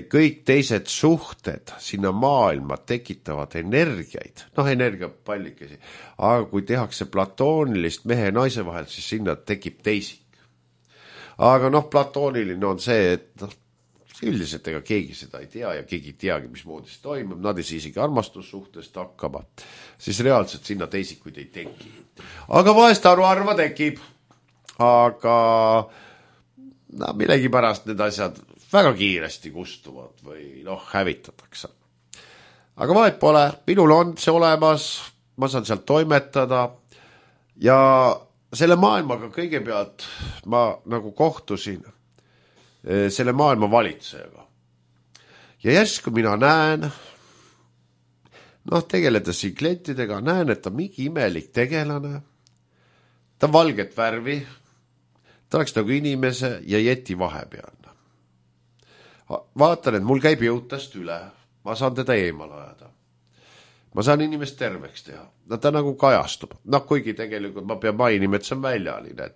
kõik teised suhted sinna maailma tekitavad energiaid, energiapallikesi, aga kui tehakse platoonilist mehe ja naise vahel, siis sinna tekib teisik. Aga platooniline on see, et üldiselt ega keegi seda ei tea ja keegi ei teagi, mismoodi see toimub, nad ei saa isegi armastussuhtest hakkama, siis reaalselt sinna teisikuid ei teki. Aga vahest harva tekib, aga millegipärast need asjad väga kiiresti kustuvad või hävitatakse. Aga vahet pole, minul on see olemas, ma saan sealt toimetada ja selle maailmaga kõigepealt ma nagu kohtusin selle maailma valitsejaga. Ja järsku mina näen, tegeledes siin klientidega, näen, et ta mingi imelik tegelane, ta on valget värvi, ta oleks nagu inimese ja jeti vahepeal. Vaatan, et mul käib jõutast üle, ma saan teda eemal ajada. Ma saan inimest terveks teha. Ta nagu kajastub. Kuigi tegelikult ma pean mainima, et see on väljaline.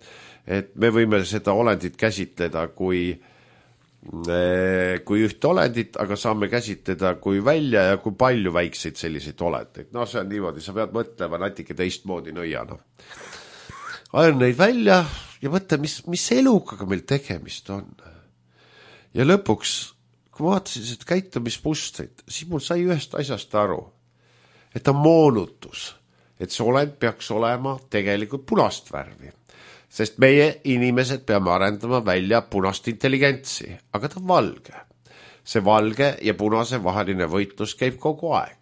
Et me võime seda olendit käsitleda kui ühte olendit, aga saame käsitleda kui välja ja kui palju väikseid selliseid olendeid. See on niimoodi, sa pead mõtlema natuke teistmoodi nõiana. Ajan neid välja ja mõtle, mis elukaga meil tegemist on. Ja lõpuks, kui ma vaatasin seda käitumismustrit, siis mul sai ühest asjast aru, et on moonutus, et see olend peaks olema tegelikult punast värvi. Sest meie inimesed peame arendama välja punast intelligentsi, aga ta on valge. See valge ja punase vaheline võitlus käib kogu aeg.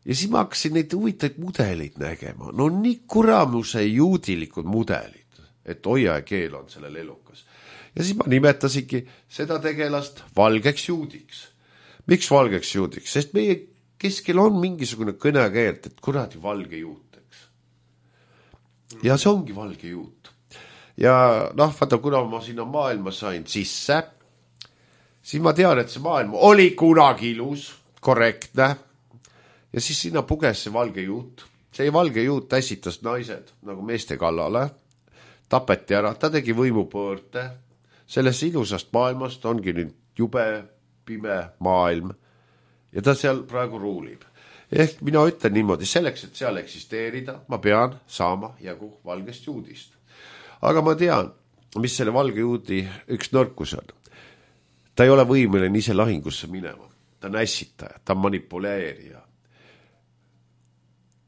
Ja siis ma hakkasin neid huvitaid mudeleid nägema. Nii kuramuse juudilikud mudelid, et hoia ja keel on sellel elukas. Ja siis ma nimetasingi seda tegelast valgeks juudiks. Miks valgeks juudiks? Sest meie keskel on mingisugune kõnekeelt, et kuradi valge juuteks. Ja see ongi valge juut. Ja vaata, kuna ma sinna maailma sain sisse, siis ma tean, et see maailm oli kunagi ilus, korrektne, ja siis sinna puges see valge juut. See valge juut ässitas naised nagu meeste kallale, tapeti ära, ta tegi võimupöörde. Sellest ilusast maailmast ongi nüüd jube pime maailm ja ta seal praegu ruulib. Ehk mina ütlen niimoodi, selleks, et seal eksisteerida, ma pean saama jagu valgest juudist. Aga ma tean, mis selle valge juudi üks nõrkus on. Ta ei ole võimeline ise lahingusse minema. Ta on ässitaja, ta on manipuleerija.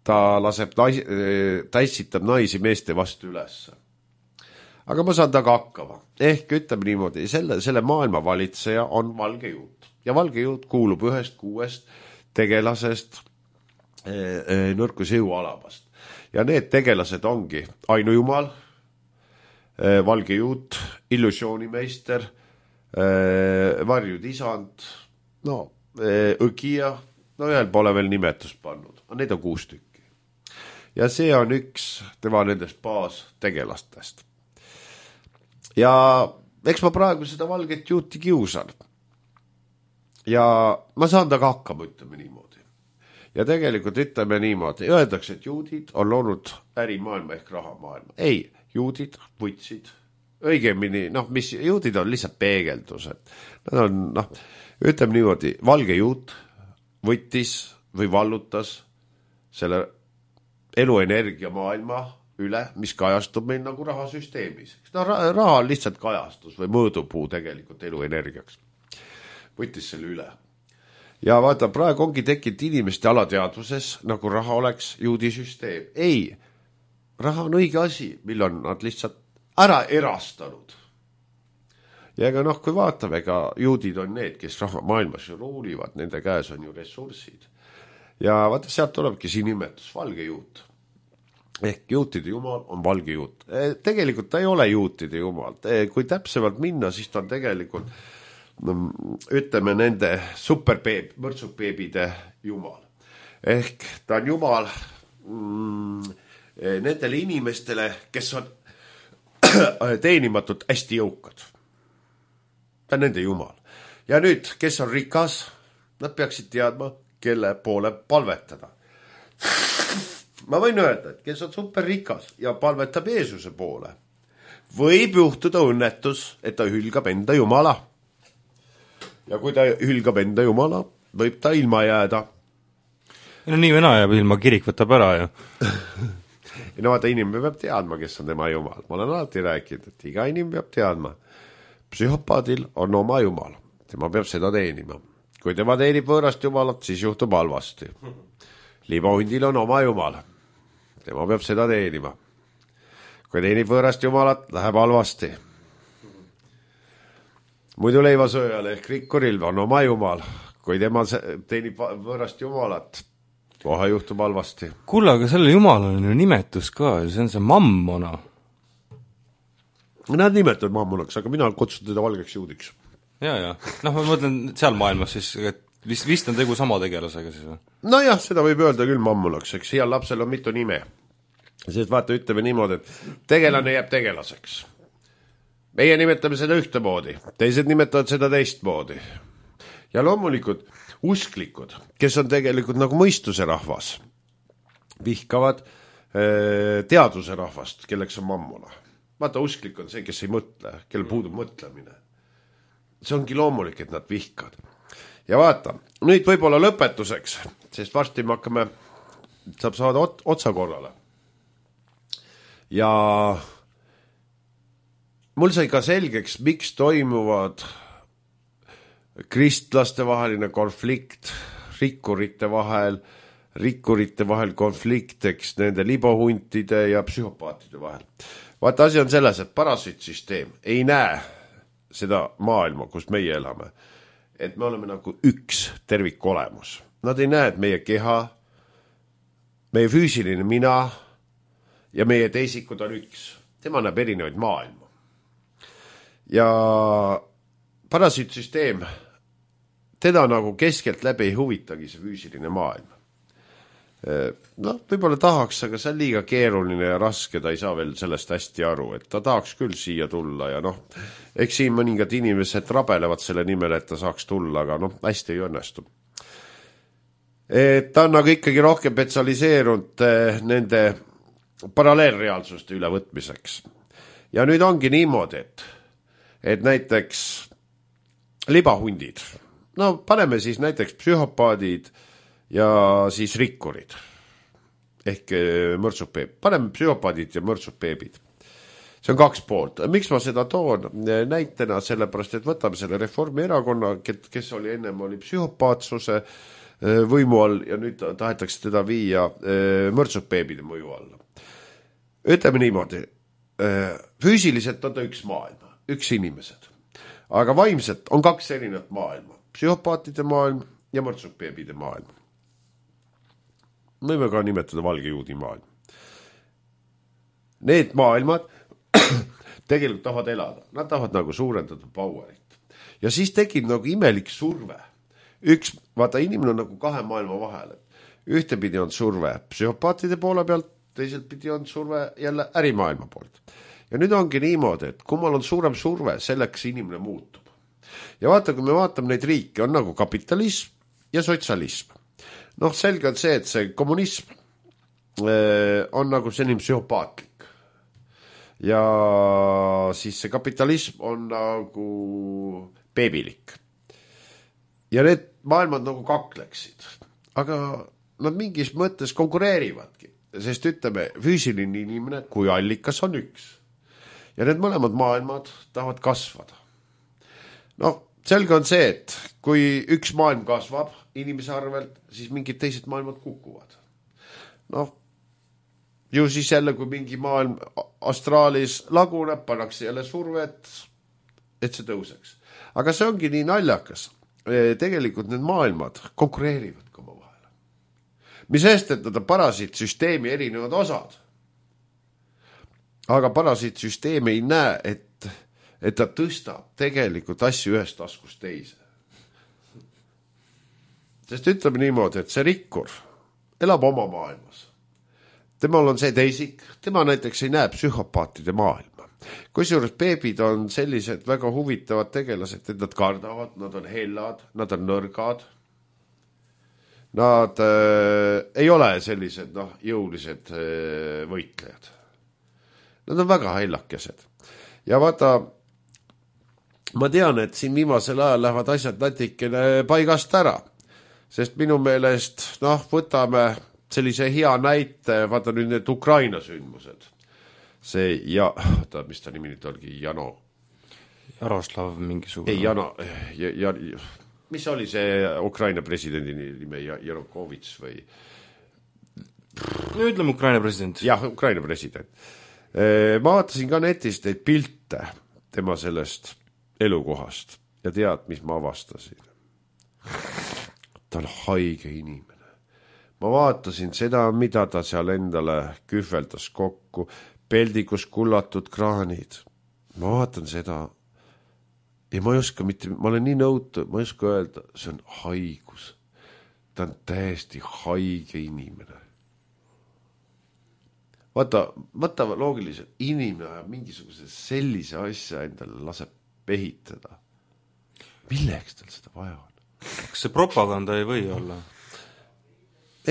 Ta ässitab naisi meeste vastu ülesse. Aga ma saan taga hakkama. Ehk ütleme niimoodi, selle maailma valitseja on valge juut. Ja valge juut kuulub 1-6 tegelasest nõrkuse jõualabast. Ja need tegelased ongi ainujumal, valge juut, illusioonimeister, varjud isand, õgija, ühel pole veel nimetust pannud. Need on 6 tükki. Ja see on üks tema nendest baastegelastest. Ja eks ma praegu seda valget juuti kiusan. Ja ma saan taga hakkama, ütleme niimoodi. Ja tegelikult ütleme niimoodi, öeldakse, et juudid on loonud ärimaailma ehk rahamaailma. Ei, juudid võtsid, õigemini, mis juudid on lihtsalt peegeldused. Nad on, ütleme niimoodi, valge juut võttis või vallutas selle eluenergia maailma üle, mis kajastub meil nagu rahasüsteemis. Raha on lihtsalt kajastus või mõõdupuu tegelikult eluenergiaks. Võttis selle üle. Ja vaata, praegu ongi tekkinud inimeste alateadvuses, nagu raha oleks juudisüsteem. Ei, raha on õige asi, mille on nad lihtsalt ära erastanud. Ja ega kui vaatame, ega juudid on need, kes raha maailmas ju ruulivad, nende käes on ju ressursid. Ja vaata, sealt tulebki siin nimetus, valge juut. Ehk juutide jumal on valge juut. Tegelikult ta ei ole juutide jumal. Kui täpsemalt minna, siis ta on tegelikult ütleme nende mõrtsukbeebide jumal. Ehk ta on jumal nendele inimestele, kes on teenimatult hästi jõukad. Ta on nende jumal. Ja nüüd, kes on rikas, nad peaksid teadma, kelle poole palvetada. Ma võin öelda, et kes on superrikas ja palvetab Jeesuse poole, võib juhtuda õnnetus, et ta hülgab enda jumala. Ja kui ta hülgab enda jumala, võib ta ilma jääda. No nii vena jääb ilma, kirik võtab ära ju. No vaata, inimene peab teadma, kes on tema jumal. Ma olen alati rääkinud, et iga inimene peab teadma. Psühhopaadil on oma jumal. Tema peab seda teenima. Kui tema teenib võõrast jumalat, siis juhtub halvasti. Libahundil on oma jumal. Tema peab seda teenima. Kui teenib võõrast jumalat, läheb halvasti. Muidu leivasööjal ehk rikkuril on oma jumal. Kui tema teenib võõrast jumalat, kohe juhtub halvasti. Kuule, aga selle jumal on ju nimetus ka, see on see mammona. Nad nimetavad mammonaks, aga mina kutsun teda valgeks juudiks. Ja. Noh, ma mõtlen seal maailmas siis, et vist on tegu sama tegelasega siis või? No jah, seda võib öelda küll mammonaks, eks heal lapsel on mitu nime. Sest vaata, ütleme niimoodi, et tegelane jääb tegelaseks. Meie nimetame seda ühtemoodi, teised nimetavad seda teistmoodi. Ja loomulikult usklikud, kes on tegelikult nagu mõistuse rahvas, vihkavad teaduse rahvast, kelleks on mammona. Vaata, usklik on see, kes ei mõtle, kellel puudub mõtlemine. See ongi loomulik, et nad vihkavad. Ja vaata, nüüd võib-olla lõpetuseks, sest varsti me hakkame, saab saada otsa korrale. Ja mul sai ka selgeks, miks toimuvad kristlaste vaheline konflikt, rikkurite vahel konflikt, eks nende libohuntide ja psühhopaatide vahel. Vaata, asi on selles, et parasiitsüsteem ei näe seda maailma, kus meie elame. Et me oleme nagu üks tervik olemus. Nad ei näe, et meie keha, meie füüsiline mina ja meie teisikud on üks. Tema näeb erinevaid maailma. Ja parasiitsüsteem, teda nagu keskelt läbi ei huvitagi see füüsiline maailm. No, võib-olla tahaks, aga see on liiga keeruline ja raske, ta ei saa veel sellest hästi aru, et ta tahaks küll siia tulla ja noh, eks siin mõningad inimesed rabelevad selle nimel, et ta saaks tulla, aga noh, hästi ei õnnestu. Ta on nagu ikkagi rohkem spetsialiseerunud nende paralleelreaalsuste ülevõtmiseks. Ja nüüd ongi niimoodi, et näiteks libahundid, no paneme siis näiteks psühhopaadid ja siis rikkurid ehk mõrtsukbeeb. Paneme psühhopaadid ja mõrtsukbeebid. See on kaks poolt. Miks ma seda toon näitena? Sellepärast, et võtame selle Reformierakonna, kes oli ennem oli psühhopaatsuse võimu all ja nüüd tahetakse teda viia mõrtsukbeebide mõju alla. Ütleme niimoodi, füüsiliselt on ta üks maailma, üks inimesed. Aga vaimselt on kaks erinevat maailma. Psühhopaatide maailm ja mõrtsukbeebide maailm. Võime ka nimetada valge juudi maailm. Need maailmad tegelikult tahavad elada. Nad tahavad nagu suurendada powerit. Ja siis tekib nagu imelik surve. Vaata, inimene on nagu kahe maailma vahel. Ühtepidi on surve psühhopaatide poole pealt, teiselt pidi on surve jälle ärimaailma poolt. Ja nüüd ongi niimoodi, et kummal on suurem surve, selleks inimene muutub. Ja vaata, kui me vaatame neid riike, on nagu kapitalism ja sotsialism. Noh, selge on see, et see kommunism on nagu selline psühhopaatlik. Ja siis see kapitalism on nagu beebilik. Ja need maailmad nagu kakleksid. Aga nad mingis mõttes konkureerivadki. Sest ütleme, füüsiline inimene kui allikas on üks. Ja need mõlemad maailmad tahavad kasvada. Noh, selge on see, et kui üks maailm kasvab inimese arvelt, siis mingid teised maailmad kukuvad. Noh, ju siis jälle, kui mingi maailm astraalis laguneb, pannakse jälle survet, et see tõuseks. Aga see ongi nii naljakas. Tegelikult need maailmad konkureerivad ka oma vahel. Mis eest, et nad on parasiitsüsteemi erinevad osad. Aga parasiitsüsteem ei näe, et et ta tõstab tegelikult asju ühest taskust teise. Sest ütleme niimoodi, et see rikkur elab oma maailmas. Temal on see teisik, tema näiteks ei näe psühhopaatide maailma. Kusjuures beebid on sellised väga huvitavad tegelased, et nad kardavad, nad on hellad, nad on nõrgad. Nad ei ole sellised jõulised võitlejad. Nad on väga hellakesed. Ja vaata, ma tean, et siin viimasel ajal lähevad asjad natikene paigast ära. Sest minu meelest, võtame sellise hea näite, vaata nüüd need Ukraina sündmused. See mis ta nimi nüüd olgi, Jaroslav mingisugune. Ei, mis oli see Ukraina presidendi nime, Janukovitš või? No ütleme Ukraina president. Jah, Ukraina president. Ma vaatasin ka netist neid pilte tema sellest elukohast ja tead, mis ma avastasin. Ta on haige inimene. Ma vaatasin seda, mida ta seal endale kühveldas kokku, peldikus kullatud kraanid. Ma vaatan seda ja ma ei oska ma olen nii nõutu, ma ei oska öelda, see on haigus. Ta on täiesti haige inimene. Vaata loogiliselt, inimene ajab mingisuguse sellise asja endale laseb ehitada. Milleks tal seda vaja on? Kas see propaganda ei või olla?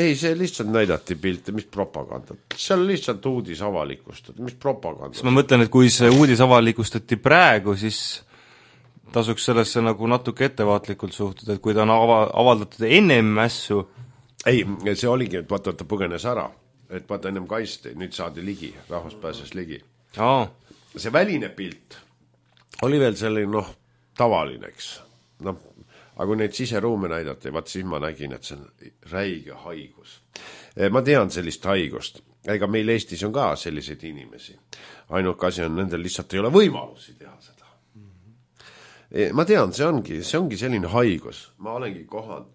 Ei, see lihtsalt näidati pilte, mis propaganda. Seal lihtsalt uudis avalikustati, mis propaganda. Ma mõtlen, et kui see uudis avalikustati praegu, siis tasuks sellesse nagu natuke ettevaatlikult suhtuda, et kui ta on avaldatud ennem mässu. Ei, see oligi, et vaata, ta põgenes ära. Et vaata ennem kaisti, nüüd saadi ligi, rahvas pääses ligi. See väline pilt oli veel selline, tavalineks. Aga kui neid siseruume näidati, vaat siis ma nägin, et see on räige haigus. Ma tean sellist haigust. Ega meil Eestis on ka selliseid inimesi. Ainuke asi on, nendel lihtsalt ei ole võimalusi teha seda. Ma tean, see ongi selline haigus. Ma olengi kohanud.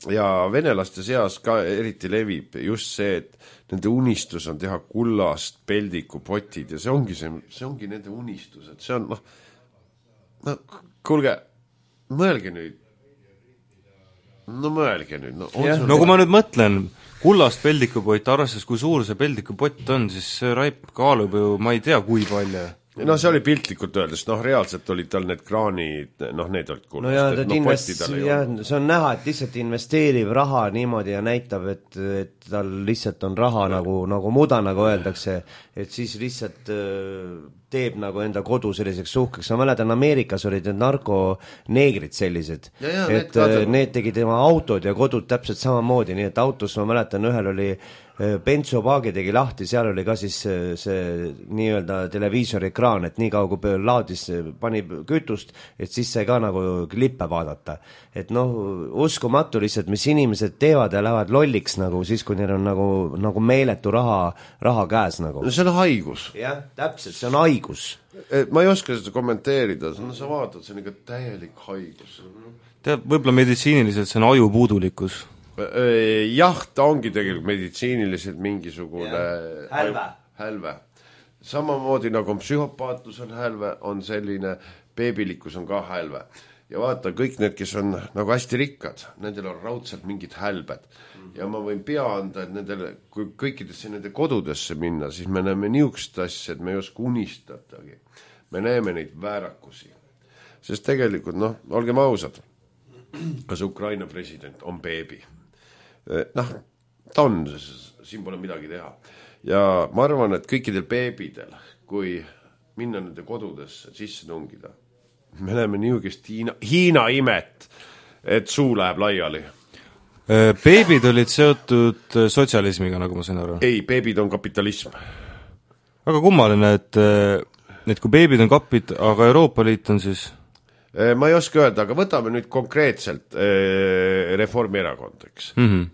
Ja venelaste seas ka eriti levib just see, et nende unistus on teha kullast peldikupotid ja see ongi nende unistus. Et see on, kuulge, mõelge nüüd. Mõelge nüüd. Kui ma nüüd mõtlen, kullast peldikupott, arvestades kui suur see peldikupott on, siis see raip kaalub ju, ma ei tea, kui palju. See oli piltlikult öeldes, reaalselt olid tal need kraanid, need olid kullast. See on näha, et lihtsalt investeerib raha niimoodi ja näitab, et tal lihtsalt on raha nagu muda, nagu öeldakse, et siis lihtsalt teeb nagu enda kodu selliseks suhkeks. Ma mäletan, Ameerikas olid need narkoneegrid sellised, et need tegid tema autod ja kodud täpselt samamoodi, nii et autos ma mäletan, ühel oli bensopaagi tegi lahti, seal oli ka siis see nii-öelda televiisori ekraan, et nii kaua kui laadis, pani kütust, et siis sai ka nagu klippe vaadata. Et uskumatu lihtsalt, mis inimesed teevad ja lähevad lolliks nagu siis, kui neil on nagu meeletu raha käes nagu. See on haigus. Jah, täpselt, see on haigus. Ma ei oska seda kommenteerida, sa vaatad, see on ikka täielik haigus. Tead, võib-olla meditsiiniliselt see on aju puudulikkus. Jah, ta ongi tegelikult meditsiiniliselt mingisugune hälve. Samamoodi nagu on psühhopaatus on hälve, on selline beebilikkus on ka hälve. Ja vaata, kõik need, kes on nagu hästi rikkad, nendel on raudselt mingid hälbed. Ja ma võin pea anda, et nendele, kui kõikidesse nende kodudesse minna, siis me näeme niisugust asja, et me ei oska unistatagi. Me näeme neid väärakusi. Sest tegelikult, olgem ausad, kas Ukraina president on beebi? Ta on, siin pole midagi teha. Ja ma arvan, et kõikidel beebidel, kui minna nende kodudesse sisse tungida, me näeme niisugust Hiina imet, et suu läheb laiali. Beebid olid seotud sotsialismiga, nagu ma sain aru? Ei, beebid on kapitalism. Väga kummaline, et kui beebid on kapid, aga Euroopa Liit on siis... Ma ei oska öelda, aga võtame nüüd konkreetselt Reformierakond, eks.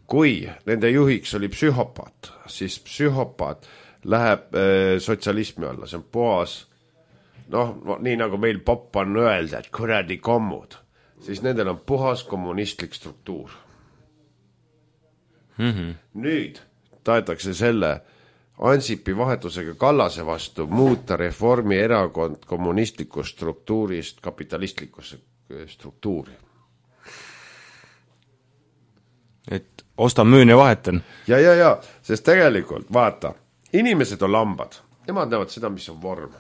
Kui nende juhiks oli psühhopaat, siis psühhopaat läheb sotsialismi alla, see on puhas, nii nagu meil popp on öelda, et kuradi kommud, siis nendel on puhas kommunistlik struktuur. Nüüd tahetakse selle Ansipi vahetusega Kallase vastu muuta Reformierakond kommunistlikust struktuurist kapitalistlikkusse struktuuri. et ostan, müün ja vahetan. Ja, sest tegelikult, vaata, inimesed on lambad, nemad näevad seda, mis on vorm.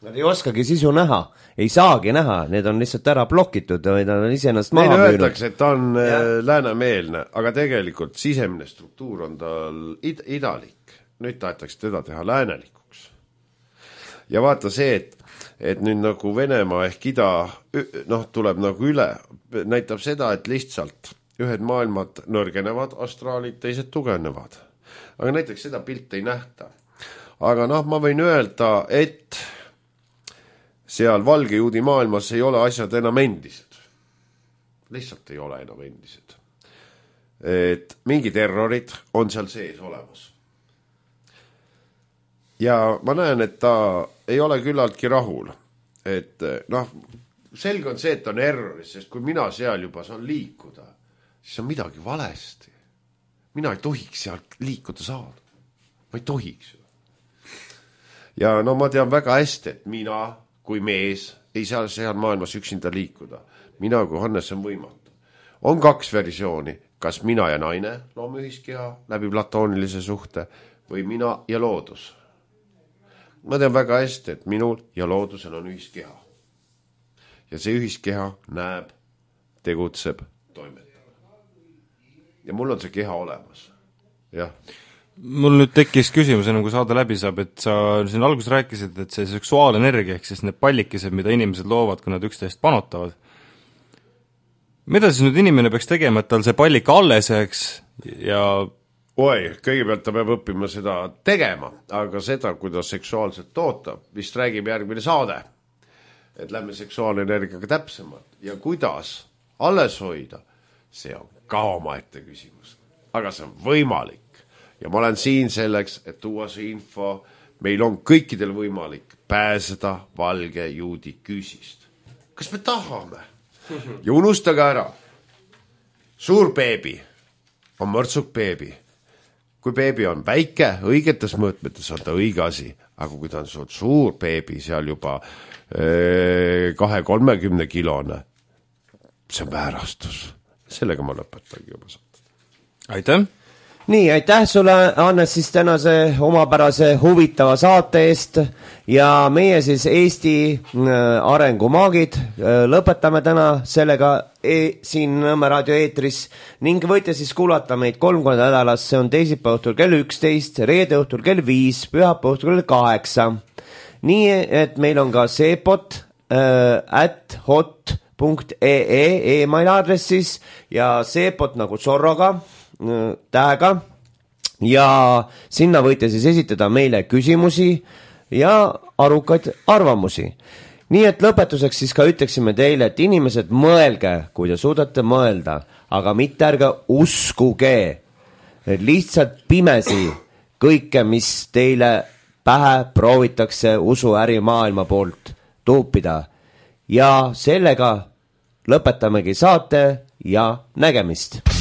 Nad ei oskagi sisu näha, ei saagi näha, need on lihtsalt ära blokitud või nad on iseennast maha Neile müünud. öeldakse, et ta on läänemeelne, aga tegelikult sisemine struktuur on tal idalik. Nüüd tahetakse teda teha läänelikuks. Ja vaata see, et nüüd nagu Venemaa ehk ida tuleb nagu üle, näitab seda, et lihtsalt ühed maailmad nõrgenevad, astraalid, teised tugevnevad. Aga näiteks seda pilt ei nähta. Aga ma võin öelda, et seal valge juudi maailmas ei ole asjad enam endised. Lihtsalt ei ole enam endised. Et mingi terrorid on seal sees olemas. Ja ma näen, et ta ei ole küllaltki rahul. Et selge on see, et on erroris, sest kui mina seal juba saan liikuda, siis on midagi valesti. Mina ei tohiks seal liikuda saada. Ma ei tohiks. Ja ma tean väga hästi, et mina kui mees ei saa seal maailmas üksinda liikuda. Mina kui Hannes on võimatu. On 2 versiooni, kas mina ja naine loome ühiskeha läbi platoonilise suhte või mina ja loodus. Ma tean väga hästi, et minul ja loodusel on ühiskeha. Ja see ühiskeha näeb, tegutseb, toimetab. Ja mul on see keha olemas. Jah. Mul nüüd tekkis küsimus, kui saade läbi saab, et sa siin alguses rääkisid, et see seksuaalenergia ehk siis need pallikesed, mida inimesed loovad, kui nad üksteist panotavad. Mida siis nüüd inimene peaks tegema, et tal see pallik alles jääks ja... Kõigepealt ta peab õppima seda tegema, aga seda, kuidas seksuaalselt toota, vist räägib järgmine saade. Et lähme seksuaalenergiaga täpsemalt ja kuidas alles hoida, see on ka omaette küsimus. Aga see on võimalik. Ja ma olen siin selleks, et tuua see info, meil on kõikidel võimalik pääseda valge juudi küüsist. Kas me tahame? Ja unustage ära. Suur beebi on mõrtsuk beebi. Kui beebi on väike, õigetes mõõtmetes on ta õige asi, aga kui ta on suur beebi, seal juba 2-30 kilone, see on väärastus. Sellega ma lõpetangi juba saada. Aitäh! Nii, aitäh sulle, Hannes, siis tänase omapärase huvitava saate eest ja meie siis Eesti arengumaagid lõpetame täna sellega siin Nõmme raadio eetris ning võite siis kuulata meid 3 korda nädalas, see on teisipäeva õhtul kell 11, reede õhtul kell 5, pühapäeva õhtul kell 8. Nii, et meil on ka seepot @hot.ee email aadressis ja seepot nagu Zorroga tähega ja sinna võite siis esitada meile küsimusi ja arukaid arvamusi. Nii et lõpetuseks siis ka ütleksime teile, et inimesed mõelge, kui te suudate mõelda, aga mitte ärge uskuge, et lihtsalt pimesi kõike, mis teile pähe proovitakse usuärimaailma poolt tuupida. Ja sellega lõpetamegi saate ja nägemist.